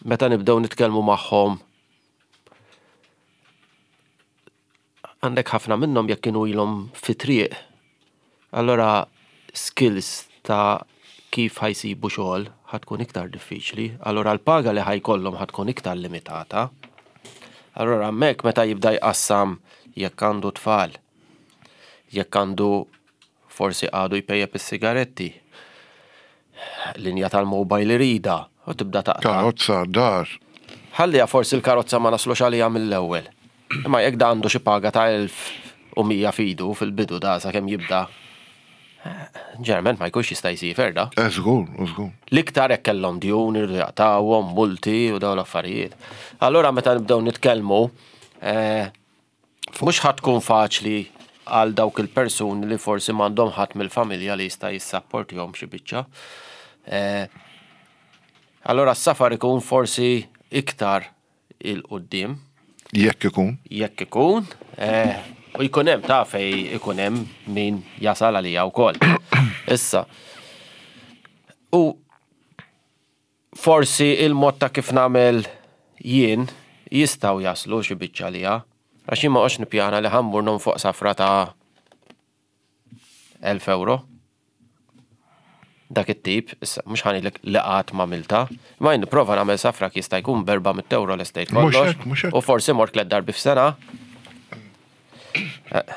meta nibdew nitkellmu magħhom għandek ħafna minnhom jekk kienu ilhom fi triq. Allora skills ta' kif ħajsibu xogħol ħatkun iktar diffiċli, allora l-paga li ħajkollhom ħatkun iktar limitata. Allora hemmhekk meta jibda jqassam jekk għandu tfal, jekk għandu forsi għadu jpejjep is-sigaretti, linja tal-mobile irida, u tibda taqta'. Karozza, dar. Ħalliha forsi l-karozza ma naslux għaliha mill-ewwel. Imma jekk da għandu xi paga ta' elf u mija f'idu fil-bidu da sakemm jibda. Ġeneralment ma jkunx jista' jsiefer da. Eh, żgur, żgur. L-iktar hekk kellhom djun irridu jaqtawhom, multi u dawn l-affarijiet. Allura meta nibdew nitkellmu, eh, mhux ħa tkun faċli għal dawk il-persuni li forsi m'għandhom ħadd mill-familja li jista' jissapportihom xi biċċa. Eh, Allora s-safar ikun forsi iktar 'il quddiem Jekk ikun. Jekk ikun, eh, u jkun hemm ta' fej ikun hemm min jasal għalija wkoll. Issa. U forsi il-mod ta' kif nagħmel jien jistgħu jaslu xi biċċa għalija. Għax jien ma qox nippjana li ħa mmur nonfoq safra ta' elf euro. Dak it-tip, issa, mhux ħa ngħidlek li qatt m'għamiltha, ma jien nipprova nagħmel safra jista' jkun b'erba' mitt euro l-estate Mhux kollox. hekk, mhux hekk. U forsi mort tliet darbi f'sena. Eh,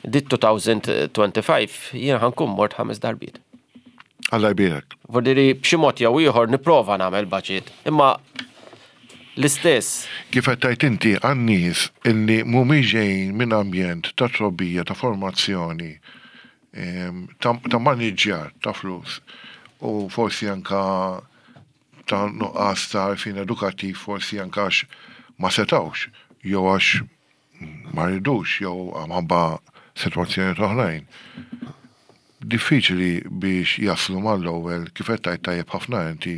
Dit elfejn u ħamsa u għoxrin jien ħa nkun mort ħames darbiet. Alla jbierek. Vordiri b'xi mod jew ieħor nipprova nagħmel budget, imma l-istess. Kif qed tgħid inti, għan-nies illi mhumiex ġejjin minn ambjent ta' trobbija, ta' formazzjoni, em, ta' ta' maniġġjar ta' flus u forsi anka ta' nuqqas ta' għarfien edukattiv, forsi anka għax ma setawx, jew għax ma ridux, jew minħabba sitwazzjoni oħrajn. Diffiċli biex jaslu mal-ewwel, kif qed tgħid tajjeb ħafna inti,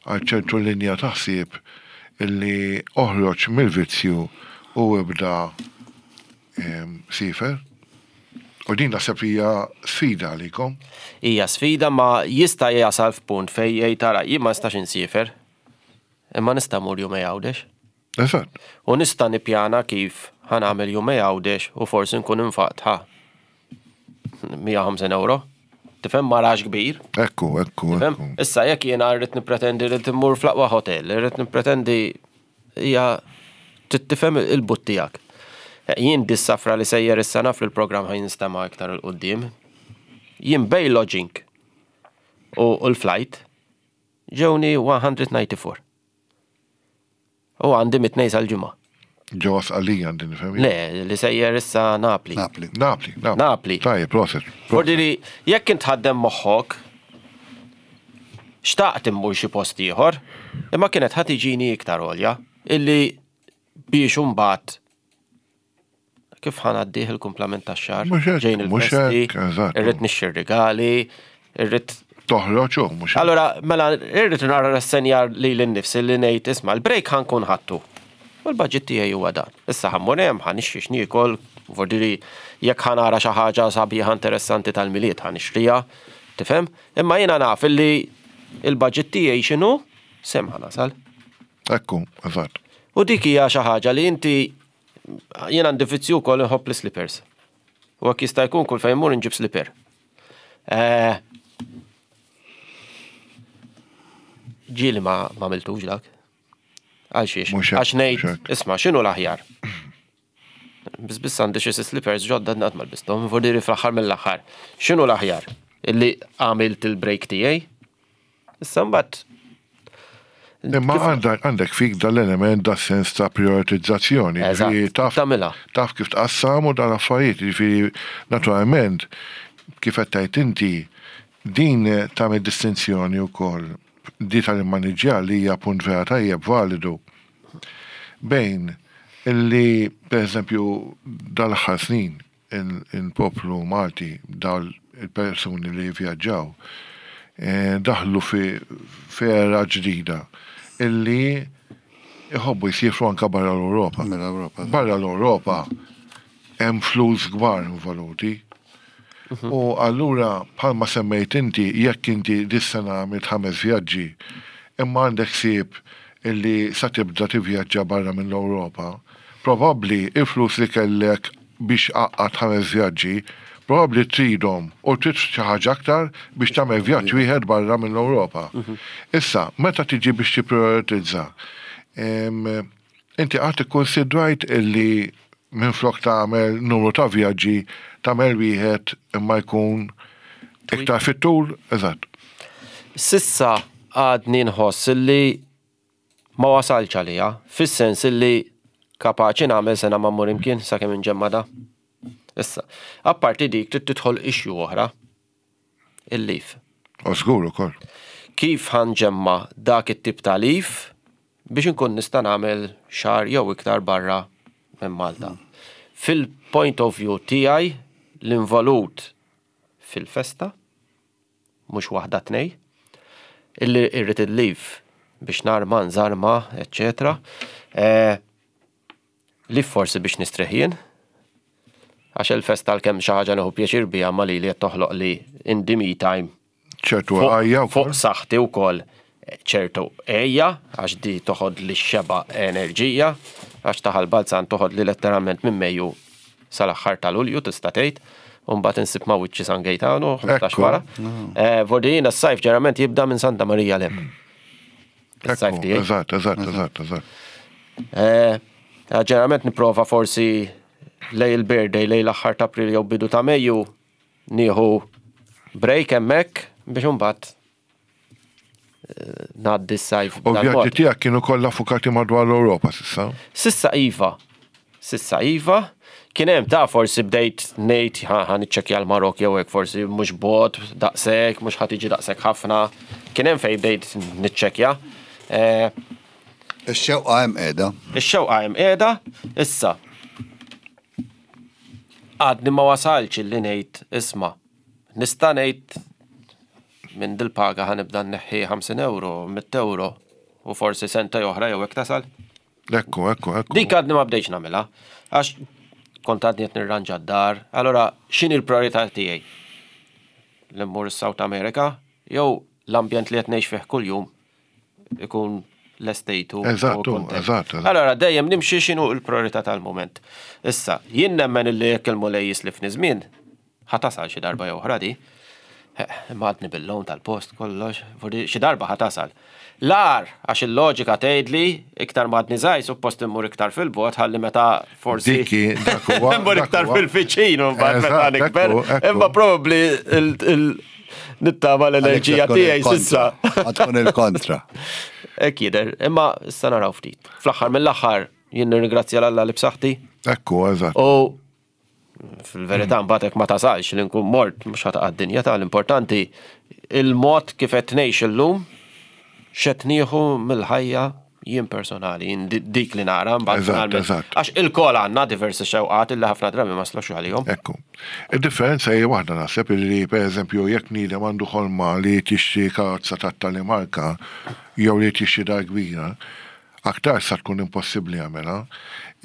għal ċertu linja ta' ħsieb illi oħroġ mill-vizzju u ibda em, siefer. U din naħseb hija sfida għalikom. Hija sfida, ma jista' jasal f'punt fejn jgħid, "Tara, jien ma nistax insiefer. Imma nista' mmur jumejn Għawdex." Eżatt. U nista' nippjana kif ħa nagħmel jumejn Għawdex u forsi nkun infaqt ħa mija u ħamsin euro. Tifhem, ma rax kbir. Ekku, ekku, Tifhem? ekku. Issa jekk jiena rrid nippretendi li timmur fl-aqwa hotel, rrid nippretendi, hija trid tifhem il-but tiegħek. Jien dis-safra li sejjer issa, naf li l-programm ħa jinstema' iktar 'il quddiem. Jien bejn lodging u u l-flight ġewni mija u disgħa u disgħin. U għandi mit-Tnejn sal-Ġimgħa. Ġewwa Sqallija għandi nifhem. Le, li sejjer issa Napli. Napli. Napli, Napli. Napli. Tajjeb, proset. Vordiri, jekk int ħaddem moħħok, xtaqt immur xi post ieħor, imma kienet ħa tiġini iktar għolja, illi biex imbagħad kif ħa ngħaddih il-kumplament tax-xahar, Mhux hekk, ġejn mhux il-festi, hekk, eżatt. irrid nixtri rigali, irrid Toħroġ u mhux hekk. Allora, mela, irrid nara rassenjar li l-nifsi li ngħid, "Isma', l-break ħa nkun ħadtu. U l-budget tiegħi huwa dan. Issa ħa mmur hemm, ħa nixtri x'niekol, vordiri jekk ħa nara xi ħaġa sabiħa interessanti tal-Milied ħa nixtriha, tifhem? Imma jiena naf illi il-budget tiegħi x'inhu, s'hemm ħa nasal." Ekku, eżatt. U dik hija xi ħaġa li inti, jien għandi vizzju wkoll, inħobb l-slippers. U hekk jista' jkun kull fejn mur inġib slipper. Eh, Ġieli ma ma għamiltux dak. Għal xiex? Mhux hekk, Għax ngħid, mhux hekk. "Isma', x'inhu l-aħjar?" Biss biss għandi xi slippers ġodda qatt ma lbisthom, vordiri fl-aħħar mill-aħħar. X'inhu l-aħjar? Illi għamilt il-break tiegħi. Issa mbagħad Imma għandek għandek fik dal-element, da sens ta' prioritizzazzjoni. Eżatt, Ġifieri taf tagħmilha. Taf kif tqassam u dan affarijiet. Ġifieri naturalment, kif qed tgħid inti, din tagħmel distinzjoni wkoll di tal-immaniġġjar li hija punt vera tajjeb, validu, bejn illi per eżempju dal-aħħar snin il- il-poplu Malti, dal il-persuni li vjaġġaw, eh, daħlu fi fera ġdida illi iħobbu jsiefru anka barra l-Europa. Mill-Ewropa. Barra l-Europa hemm flus kbar involuti. U allura, bħalma semmejt inti, jekk inti dis-sena għamilt ħames vjaġġi, imma għandek ħsieb illi sa tibda tivvjaġġa barra mill-Ewropa, probabbli il-flus li kellek biex għaqqadt ħames vjaġġi, probabbli tridhom u trid xi ħaġa aktar biex tagħmel vjaġġ wieħed barra mill-Ewropa. Issa, meta tiġi biex tipprioritizza, em, inti qatt ikkonsidrajt illi minflok tagħmel numru ta' vjaġġi tagħmel wieħed imma jkun iktar fit-tul? Eżatt. S'issa għadni nħoss illi ma wasalx għalija, fis-sens illi kapaċi nagħmel sena ma mmur imkien sakemm inġemma da. Issa, apparti dik trid tidħol issue oħra, il-leave. U żgur ukoll. Kif ħa nġemma' dak it-tip ta' leave biex inkun nista' nagħmel xahar jew iktar barra minn Malta. Fil-point of view tiegħi l-involut fil-festa, mhux waħda tnej, illi irrid il-leave biex narma, nżarma, eccetera. Eh, li forsi biex nistrieħ jien, għax il-festa l-kem xi ħaġa nieħu pjaċir biha ma li li qed toħloq li in the me time ċertu għajja fuq saħħti wkoll ċertu ejja, għax di toħod li xeba enerġija, għax ta' Ħal Balzan toħod li letteralment minn Mejju sal-aħħar ta' Lulju tista' tgħid, u mbagħad insib ma' wiċċi San Gejtanu, ħmistax Ekku. wara. Eh, Vordina s-sajf ġeneralment jibda minn Santa Marija 'l hemm. Is-sajf tiegħi. Eżatt, eżatt, eżatt, eżatt. Eh, Ġeneralment nipprova forsi lejn il-birthday, lejn l-aħħar ta' April jew bidu ta' Mejju nieħu break hemmhekk biex imbagħad eh, ngħaddi s-sajf. U b'dan vjaġġi mod. tiegħek kienu kollha fukati madwar l-Ewropa s'issa. S'issa iva. S'issa iva. Kien hemm ta' forsi bdejt ngħid ħa ħa niċċekkja l-Marok jew hekk forsi mhux bot daqshekk, mhux ħa tiġi daqshekk ħafna. Kien hemm fejn bdejt niċċekkja. Eh, Ix-xewqa hemm qiegħda. Ix-xewqa hemm qiegħda, issa. Għadni ma wasalx illi ngħid isma' nista' ngħid minn dil-paga ħa nibda nneħħi ħamsin euro, mitt euro u forsi senta oħra jew hekk tasal. Ekku, ekku, ekku. Dik għadni ma bdejx nagħmilha għax kont għadni qed nirranġa d-dar. Allora x'inhi l-priorità tiegħi? Li mmur is-South America jew l-ambjent li qed ngħix fih kuljum ikun l-estejtu. Eżattu, eżatt, eżatt. Allora dejjem nimxi x'inhu l-priorità tal-moment. Issa, jien nemmen illi jekk il-Mulej jislifni żmien, ħa tasal xi darba jew oħra di. Eh, Imma għadni bil-loan tal-post kollox, forsi xi darba ħa tasal. L-ar, għax il-loġika tgħidli iktar ma għadni żgħir, suppost immur iktar fil-bogħod ħalli meta forsi Diki, dak huwa. immur dak iktar huwa. fil-viċin u mbagħad meta Eżatt, nikber. ekku, ekku. Imma probabbli il- il- nittama l-enerġija tiegħi s'issa. Ħa tkun il-kontra. Hekk jidher, imma issa naraw ftit. Fl-aħħar mill-aħħar jien nirringrazzja 'l Alla li b'saħħti Ekku, eżatt. u fil-verità mbagħad hekk ma tasalx li nkun mort mhux ħa taqa' d-dinja tal-importanti il-mod kif qed ngħix illum x'qed nieħu mill-ħajja jien personali, jien di- dik li nara mbagħad Eżatt, finalment. eżatt. Għax il-kol għandna diversi xewqat illi ħafna drabi ma slux għalihom. Ekku. Il-differenza hija waħda naħseb li per eżempju jekk bniedem għandu ħolma li tixtri karozza ta' tali marka jew li tixtri dar kbira, aktar sa tkun impossibbli jagħmilha,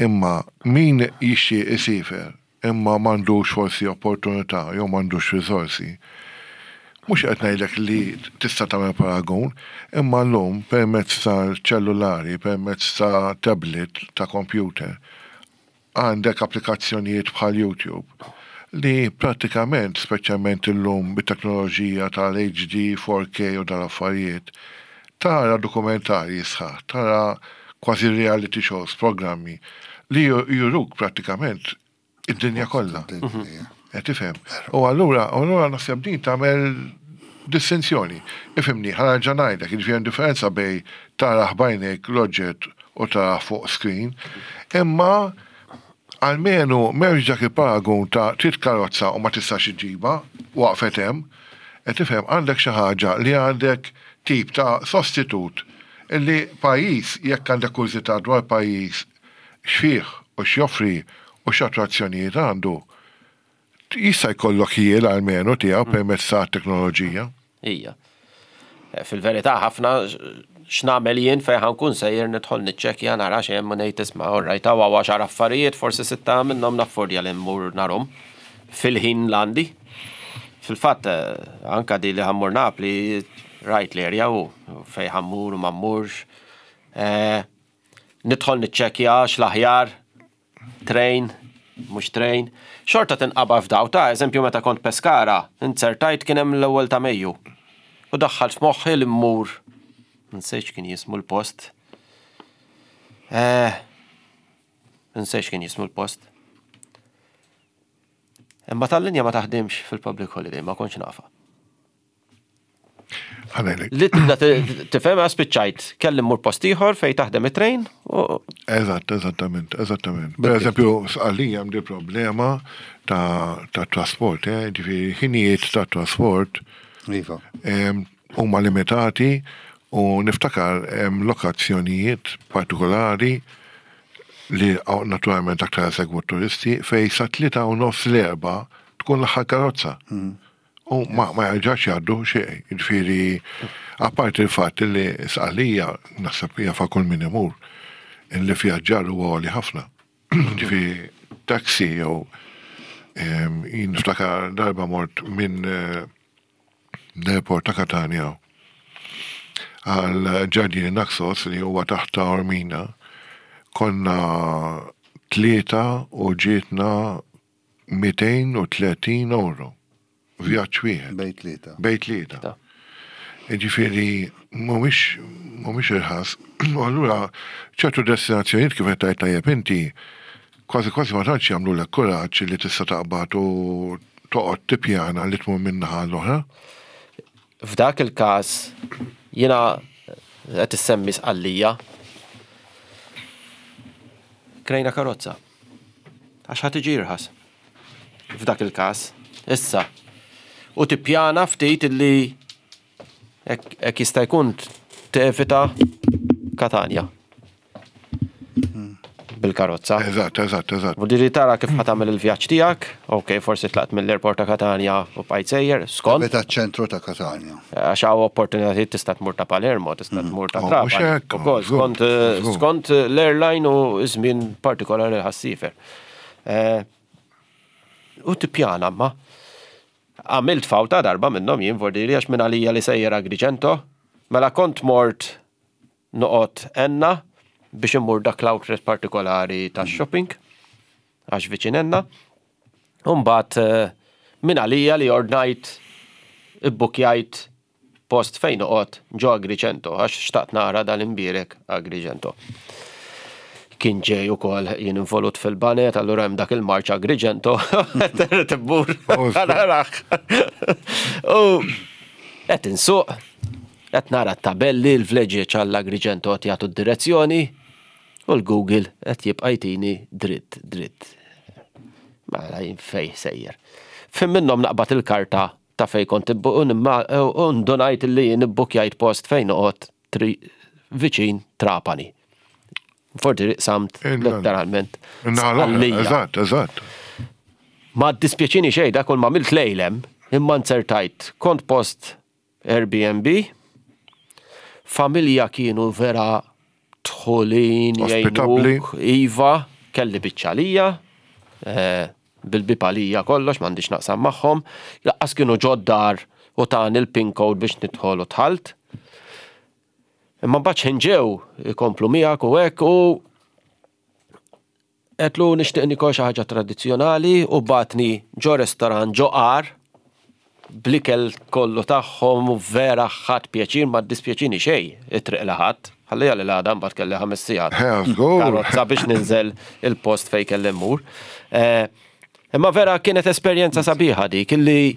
imma min jixtri isiefer imma m'għandux forsi opportunità jew m'għandux riżorsi. Mhux qed ngħidlek li tista' tagħmel paragun, imma llum permezz ta' ċellulari, permezz ta' tablet, ta' computer, għandek applikazzjonijiet bħal YouTube li pratikament, speċjalment illum bit-teknoloġija tal-H D, four K u dal-affarijiet, tara dokumentarji sħaħ, tara kważi reality shows, programmi li ju- juruk pratikament id-dinja kollha. Qed tifhem. U allura, u allura naħseb din tagħmel distinzjoni. Ifhimni, ħa nerġa' ngħidlek, jiġifieri hemm differenza bejn tara b'għajnejk l-oġġett u tara fuq screen, imma almenu m'hemmx dak il-paragun ta' trid karozza u ma tistax iġġibha, waqfet hemm, qed tifhem, għandek xi ħaġa li għandek tip ta' sostitut illi pajjiż, jekk għandek kurżità dwar pajjiż x'fih u x'joffri u x'attrazzjonijiet għandu, jista' jkollok ħjiel almenu tiegħu permezz ta' teknoloġija. Ija. Eh, Fil-verità ħafna x'nagħmel jien fejn ħa nkun sejjer nidħol niċċekkja nara x'hemm u ngħid isma' orrajt hawn għaxar affarijiet forsi sitta minnhom naffordja li mmur narhom fil-ħin l-għandi. Fil-fatt eh, anka di li ħa mmur Napli rajt l-area u fejn ħa mmur u ma mmurx. Eh, Nidħol niċċekkja x'l-aħjar train, mhux train. Xorta tinqaba f'daw ta' eżempju meta kont Pescara, inzertajt kien hemm l-ewwel ta' Mejju. U daħħalt f'moħħi li mmur. Nsejx kien jismu l-post. Eh, nsejx kien jismu l-post. Imma tal-linja ma taħdimx fil-public holiday, ma kontx nafha. Ħa ngħidlek. Li tibda tifhem, spiċċajt, kelli mmur post ieħor fejn taħdem it-train. Eżatt, eżattament, eżattament. Per eżempju, għalija hemm di problema ta' trasport, eh, ġifieri ħinijiet ta' trasport Iva. huma limitati u niftakar hemm lokazzjonijiet partikolari li naturalment aktar segwu turisti fej sa tlieta u nofs, l-erbgħa tkun l-aħħar karozza. Mm. U ma, ma jarġax jgħaddu xejn. Ġifieri, apparti il-fatt li Sqallija, naħseb jafa kull min imur, li vjaġġar huwa għoli ħafna. Ġifieri, taxi jew jien niftakar darba mort minn eh, l-airport ta' Katania għal Ġardini Naxos li huwa taħt Taormina, konna tlieta u ġietna mitejn u tletin euro. Vjaġġ wieħed. Bejn tlieta. Bejn tlieta. Ġifieri, mhumiex mhumiex irħas. U allura ċertu destinazzjonijiet, kif qed tgħid tajjeb inti, kważi kważi ma tantx jagħmlu lek kuraġġ li tista' taqbad u toqgħod tippjana li tmur minn naħa l-oħra. F'dak il-każ jiena qed issemmi Sqallija. Krejna karozza. Għax ħa tiġi irħas. F'dak il-każ. Issa. U tippjana ftit illi hekk jista' jkun tevita Katanja bil-karozza. Eżatt, eżatt, eżatt. U diri tara kif ħa tagħmel il-vjaġġ tiegħek, ok, forsi tlaqt mill-airport ta' Katanja u bqajt sejjer, skont. Meta ċentru ta' Katanja. Għax hawn opportunitajiet, tista' tmur ta' Palermo, tista' tmur ta' Oh, mhux Trapani. hekk, Ukoll, żgur, skont eh, żgur. skont l-airline u żmien partikolari ħa ssiefer. Eh, U tippjana, ma. Għamilt fawta darba minnhom jien, vordiri, għax minn għalija li sejjer Agrigento, mela kont mort noqgħod Enna biex immur dak l-outlet partikolari ta' shopping, għax viċin Enna. Umbat minn għalija li ordnajt, ibbukjajt post fejn noqgħod ġo Agrigento, għax xtaqt nara dal-imbierek Agrigento. Kien ġej ukoll jien involut fil-baned, allura hemm dak il-marċ Agrigento, tibbur, Oh, narax. U qed insuq, qed nara t-tabelli, l-vleġġeġ għall-Agrigento qed jagħtu d-direzzjoni, u l-Google qed jibqa' jtini dritt, dritt. Mela jien fej sejjer? Fim minnhom naqbad il-karta ta' fej kont ibbu- u nimma- u ndunajt li jien ibbukjajt post fejn noqgħod tri- viċin Trapani. Forti samt Il- letteralment. Naħa l-oħra. Sqallija. Eżatt, eżatt. Ma dispjaċini xejn, da kull ma għamilt lejlem, imma nzertajt kont post Airbnb, familja kienu vera dħulin, Ospitabbli. jgħinuk, iva, kelli biċċalija, eh, bil-bib għalija kollox, m'għandix naqsam magħhom, laqqas kienu ġoddar u tani il-pin code biex nidħol u dħalt. Imma mbagħad x'ħin ġew ikomplu miegħek u hekk u għedtlu nixtieq nikol xi ħaġa tradizzjonali u bagħatni ġo restorant ġo għar bl-ikel kollu tagħhom u vera ħadt pjaċir, ma dispjaċini xejn it-triq li ħadt. Ħallija li l-għada mbagħad kelli ħames sigħat. Eh, żgur. Karozza biex ninżel il-post fej kelli mmur. Eh, Imma vera kienet esperjenza sabiħa dik illi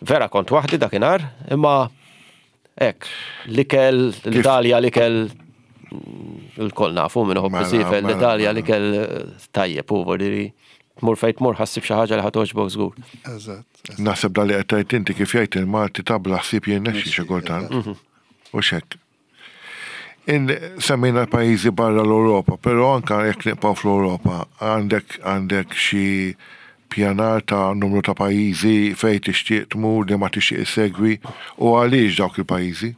vera kont waħdi dakinhar, imma hekk, l-ikel, l-Italja l-ikel il-koll nafu minn iħobb Mela, isiefer, mela, l-Italja mela. l-ikel eh, tajjeb u vordiri tmur fejn tmur ħa ssib xi ħaġa li ħa togħġbok żgur. Eżatt. Naħseb da li qed tgħid inti, kif jgħid il-Malti, ta' bla ħsieb jirnexxi xi kultant. U xek. In semmejna pajjiżi barra l-Ewropa, però anka jekk nibqgħu fl-Ewropa, għandek għandek xi pjanar ta' numru ta' pajjiżi fejn tixtieq tmur, li ma tixtieq issegwi, u għaliex dawk il-pajjiżi?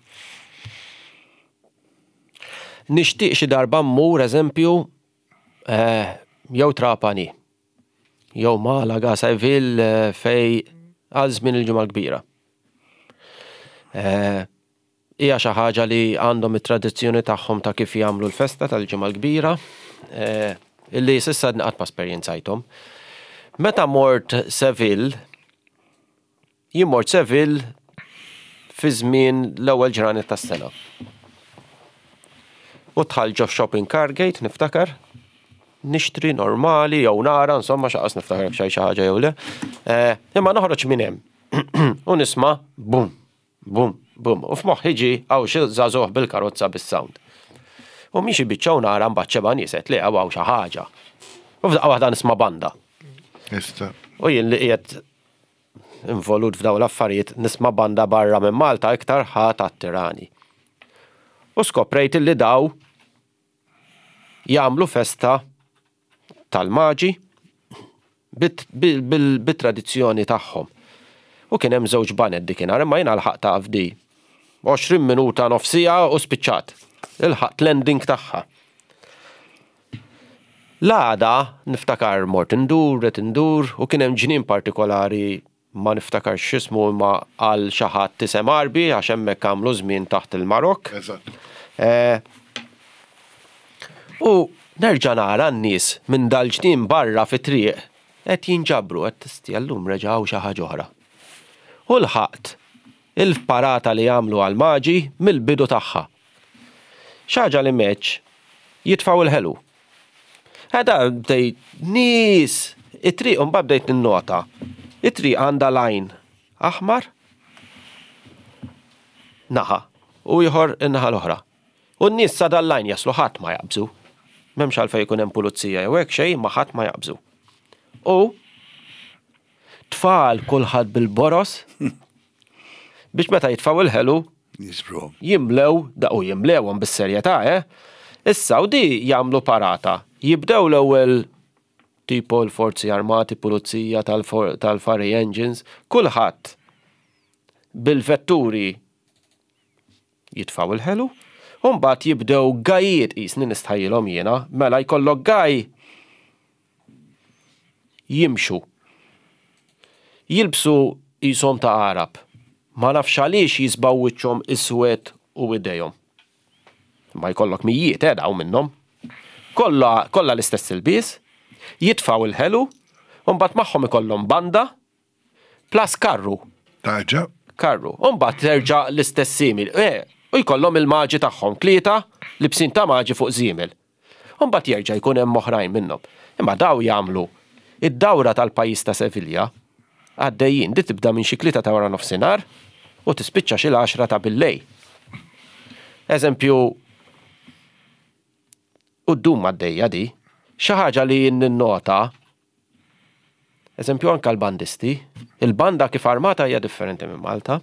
Nixtieq xi darba mmur, eżempju, eh, jew Trapani, jew Malaga, Seville, eh, fej għal żmien il-Ġimgħa l-Kbira. Eh, Hija xi ħaġa li għandhom it-tradizzjoni tagħhom ta' kif jagħmlu l-festa tal-Ġimgħa l-Kbira, eh, illi s'issa qatt ma esperjenzajthom. Meta mort Seville, jien mort Seville fi żmien l-ewwel ġranet tas-sena. U dħalt ġo shopping Cargate, niftakar, nixtri normali, jew nara, insomma, xaqas niftakar xej xi ħaġa jew le. Eh, Imma noħroġ minn hemm. U nisma' bum, bum, Bum, u f'moħħi ġi hawn xi żagħżugħ bil-karozza bis-sound. U miexi biċċa u nara mbagħad xeba nies qed li hawn xi ħaġa. U f'daqqa waħda nisma' banda. Ista. U jien li qiegħed involut f'dawn l-affarijiet nisma' banda barra minn Malta iktar ħa tattirani. U skoprejt li daw jagħmlu festa tal-maġi bit-tradizzjoni tagħhom. U kien hemm żewġ baned dikinhar, imma jiena lħaqt ta' fdi. għoxrin minuta nofsija u spiċċat. Ilħaqt l-ending tagħha. L-għada niftakar mort indur, qed indur, u kien hemm ġnien partikolari ma niftakar x'ismu imma għal xi ħadd isem Għarbi għax hemmhekk għamlu żmien taħt il-Marokk. Eżatt. Eh, u nerġa' nara n-nies minn dal-ġnien barra fit-triq qed jinġabru qed tistja llum reġgħu xi ħaġa oħra. U lħaqt il-parata li jagħmlu għal-maġi mill-bidu tagħha. Xi ħaġa li meċ jitfgħu il-ħelu. Għada bdejt nies, it-triq mbagħad bdejt ninnota. It-triq għandha lajn aħmar naħa u ieħor in-naħa l-oħra. U n-nies sa dal-lajn jaslu ħadd ma jaqbżu. M'hemmx għalfejn jkun hemm pulizija jew hekk xejn ma ħadd ma jaqbżu. U tfal kulħadd bil-boros biex meta jitfgħu il-ħelu Jisbru. jimlew, da u jimlewhom bis-serjetà, eh? Issa u di jagħmlu parata. Jibdew l-ewwel tipo l-forzi armati, pulizija tal-fire engines, kulħadd bil-vetturi jitfgħu il-ħelu, u mbagħad jibdew gajiet qisni nistħajjilhom jiena, mela jkollok gaj jimxu. Jilbsu qishom ta' Arab. Ma nafx għaliex jisbaw wiċċhom iswed u idejhom. Ma jkollok mijiet eh daw minnhom. Kollha kollha l-istess ilbies, jitfgħu il-ħelu, u mbagħad magħhom ikollhom banda plus karru. Taġa. Karru. U mbagħad terġa' l-istess simil. Eh, u jkollhom il-maġi tagħhom tlieta libsin ta' maġi fuq żiemel. U mbagħad jerġa' jkun hemm oħrajn minnhom. Imma daw jagħmlu id-dawra tal-pajjiż ta' Sevilja għaddejjin, di tibda minn xi tlieta ta' wara nofsinhar u tispiċċa xi l-għaxra ta' billejl. Eżempju, u ddum għaddejja di, xi ħaġa li ninnota, eżempju anka l-bandisti, il-banda kif armata hija differenti minn Malta.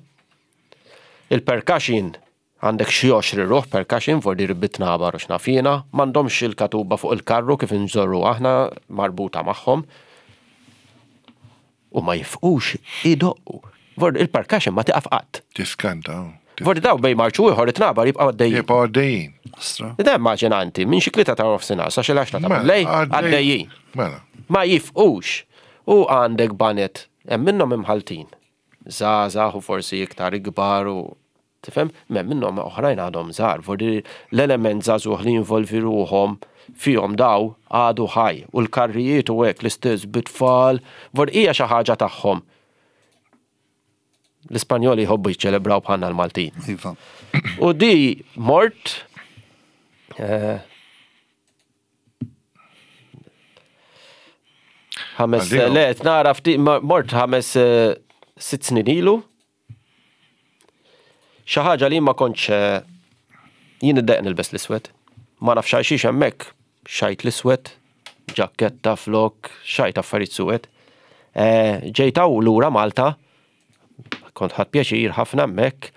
Il-percussion għandek xi għoxrin ruħ percussion for di bitnabar u x'nafina, m'għandhomx il-katuba fuq il-karru kif inżorru aħna marbuta magħhom. U ma jifqux idoqqu. Vor il-percussion ma tiqaf qatt. Tiskanta. Vor daw bej marċu ieħor it-tnabar jibqgħu għaddejjin. Jibqgħu għaddejjin. Astra. Da immaġinanti, minn xi tlieta ta' nofsinhar sa xi l-għaxra ta' Mela, billejl għaddej- għaddejjin. Mela. Ma jifqux. U għandek banet, hemm minnhom imħaltin. Żgħażagħ u forsi iktar ikbar u tifhem, m'hemm minnhom oħrajn għadhom żgħar. Vordi l-element żagħżugħ li jinvolvi ruħhom fihom daw għadu ħaj u l-karrijiet u hekk l-istess bit-tfal, vor hija xi ħaġa tagħhom. L-Ispanjoli jħobbu jiċċelebraw bħalna l-Maltin. Iva. U di mort eh, ħames Għaldi, le, nara ftit ma- mort ħames eh, sitt snin ilu. Xi ħaġa li ma kontx eh, jien iddeq nilbes l-iswed. Ma nafx għal xiex hemmhekk xajt l-iswed, ġaketta, flok, xajt affarijiet suwed. Eh, Ġejt hawn lura Malta, kont ħadt pjaċir ħafna hemmhekk.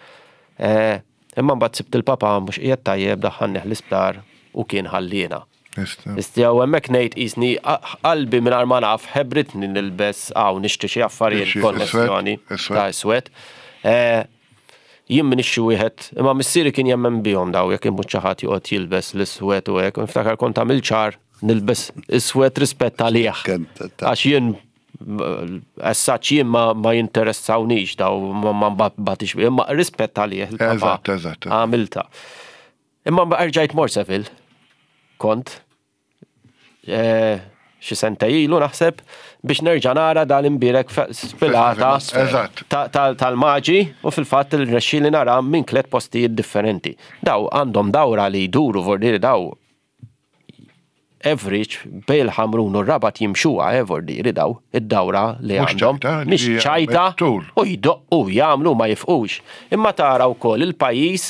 Eh, Imma mbagħad sibt il-papa mhux qiegħed tajjeb daħħalnih l-isptar u kien ħallina. Nista. Istja u hemmhekk ngħid qisni qalbi mingħajr ma naf ħebritni nilbes hawn nixtri xi affarijiet Xi konnessjoni iswed, ta' iswed. Eh, Jien m'iniex xi wieħed, imma missieri kien jemmen bihom daw jekk imut xi ħadd joqgħod jilbes l-iswed u hekk, u niftakar kont għamil ċar nilbes iswed rispett għalih. Kien ta- ta- Għax jien as such jien ma, ma jinteressawnix daw ma, ma batix, imma rispett għalih il-papa Eżatt, eżatt. għamilta. Imma rġajt mort Seville, kont, eh, xi senta ilu naħseb biex nerġa' nara dal-imbirek fe- spilata Eżatt. ta- ta- tal-maġi u fil-fatt il-rexxili nara minn tliet postijiet differenti. Daw għandhom dawra li jduru vordiri daw Average bejn il-Ħamrun u r-Rabat jimxuha evordiri daw id-dawra li Mhux għandhom. ċajta, Mhix ġifieri ċajta tul. u jdoqqu jagħmlu ma jifqux. Imma tara wkoll il-pajjiż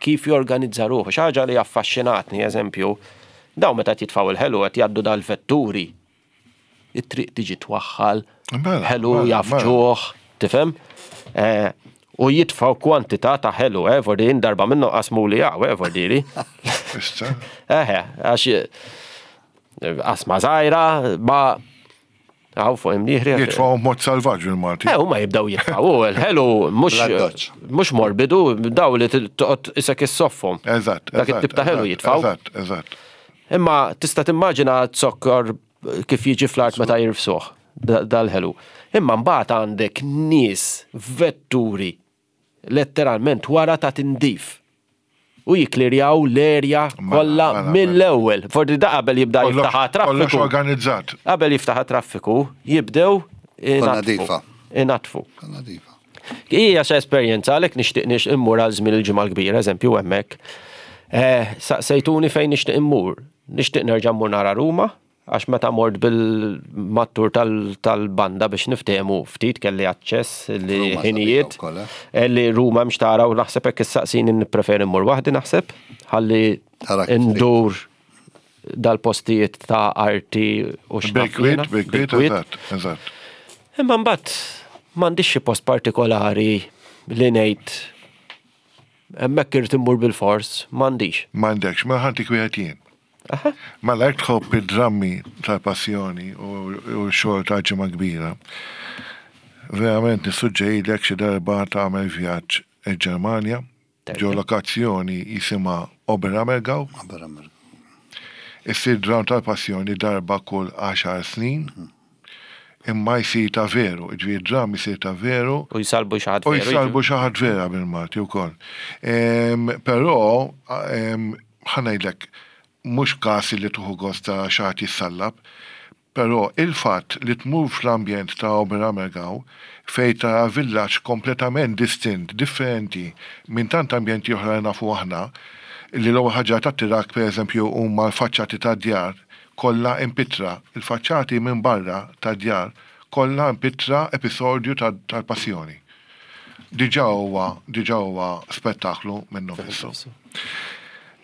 kif jorganizza ruħu. Xi ħaġa li affaxxinatni, eżempju, daw meta jitfgħu il-ħelu qed jgħaddu dal-vetturi. It-triq tiġi twaħħal, Mela, ħelu mela, jafġuh, tifhem? Eh, U jitfaw kwantità ta' ħelu, eh, vordi darba minnu qasmu li għaw, eh, vordiri. Issa. Eħe, għax eh, qasma żgħira, ma għaw fuq imnieħri. Jitfgħu mod salvaġġ il-Malti. Eh, huma jibdaw jitfaw, il-ħelu mhux Bl-addoċċ. mhux morbidu, daw li toqgħod isek issoffhom. Eżatt. Dak eżatt, it-tip ta' ħelu eżatt, jitfaw. Eżatt, eżatt. Imma tista' timmaġina zokkor kif jiġi fl-art meta jirfsuh da- dal-ħelu. Imma mbagħad għandek nies vetturi letteralment wara ta' tindif. U jiklirjaw l-erja Mela, kollha mela, mela. mill-ewwel. Forsi da qabel jibda Kollox- jiftaħ Kollox traffiku. organizzat. Qabel jiftaħ traffiku, jibdew Kollha inatfu. nadifa. Inatfu. Nadifa. Hija xa esperjenza għalhekk nixtieq nix immur għal żmien il-ġimgħa l-kbira, eżempju hemmhekk. Eh, Saqsejtuni fejn nixtieq immur. Nixtieq nerġa' mmur nara Ruma, għax meta mort bil-mattur tal- tal-banda biex niftehmu ftit kelli aċċess li Ruma ħinijiet. sabiħa wkoll, eh? eh, Li Ruma mx tara u naħseb hekk issaqsini nippreferi mmur waħdi naħseb, ħalli Tara kif trid. ndur dal-postijiet ta' arti u x'naf Bil-kwiet, jiena. bil-kwiet, Bil-kwiet. eżatt, eżatt. Imma mbagħad m'għandix xi post partikolari li ngħid hemmhekk irid immur bil-fors, m'għandix. M'għandekx, ma ħa ntik wieħed jien. Aha. Mela jekk tħobb id-drammi tal-passjoni u u x-xogħol ta' ġimgħa kbira. Verament nissuġġerilek xi darba tagħmel vjaġġ il-Ġermanja, ġo lokazzjoni jisimha Oberammergau, Oberammergau. Issir dram tal-passjoni darba kull għaxar snin, imma jsir ta' veru, ġifieri dram jsir ta' veru, U jsalbu xi ħadd U veru, jsalbu xi ħadd vera bil-Malti wkoll. Em, Però, em, ħa ngħidlek, mhux każ li tieħu gost ta' xi ħadd jissallab, però il-fatt li tmur fl-ambjent ta' Oberammergau fej ta' villaġġ kompletament distint, differenti minn tant ambjenti oħra li nafu aħna, li l-ewwel ħaġa tattirak pereżempju huma l-faċċati tad-djar kollha impittra, il-faċċati minn barra tad-djar kollha impittra episodju tal-passjoni. Diġà huwa diġà huwa spettaklu minnu nnifsu.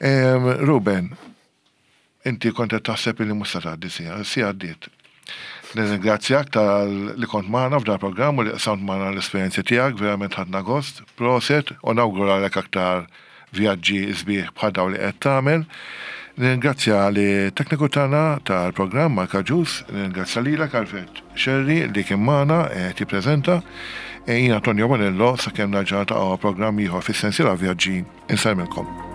Em, Ruben, inti kont qed taħseb li mhux se tgħaddi siegħa, siegħa għaddiet. Nirringrazzjak tal li kont magħna f'dan programm u li qsamt magħna l-esperjenzi tiegħek, verament ħadna gost, proset, u nawguralek aktar vjaġġi sbieħ bħal dawn li qed tagħmel. Nirringrazzja lit-tekniku tagħna tal-programm Mark Agius, nirringrazzja lilek Alfred Scerri li kien magħna qed jippreżenta. E jiena Antonio Bonello sakemm nerġa' niltaqgħu programm ieħor fis-sensiela vjaġġi insellmilkom.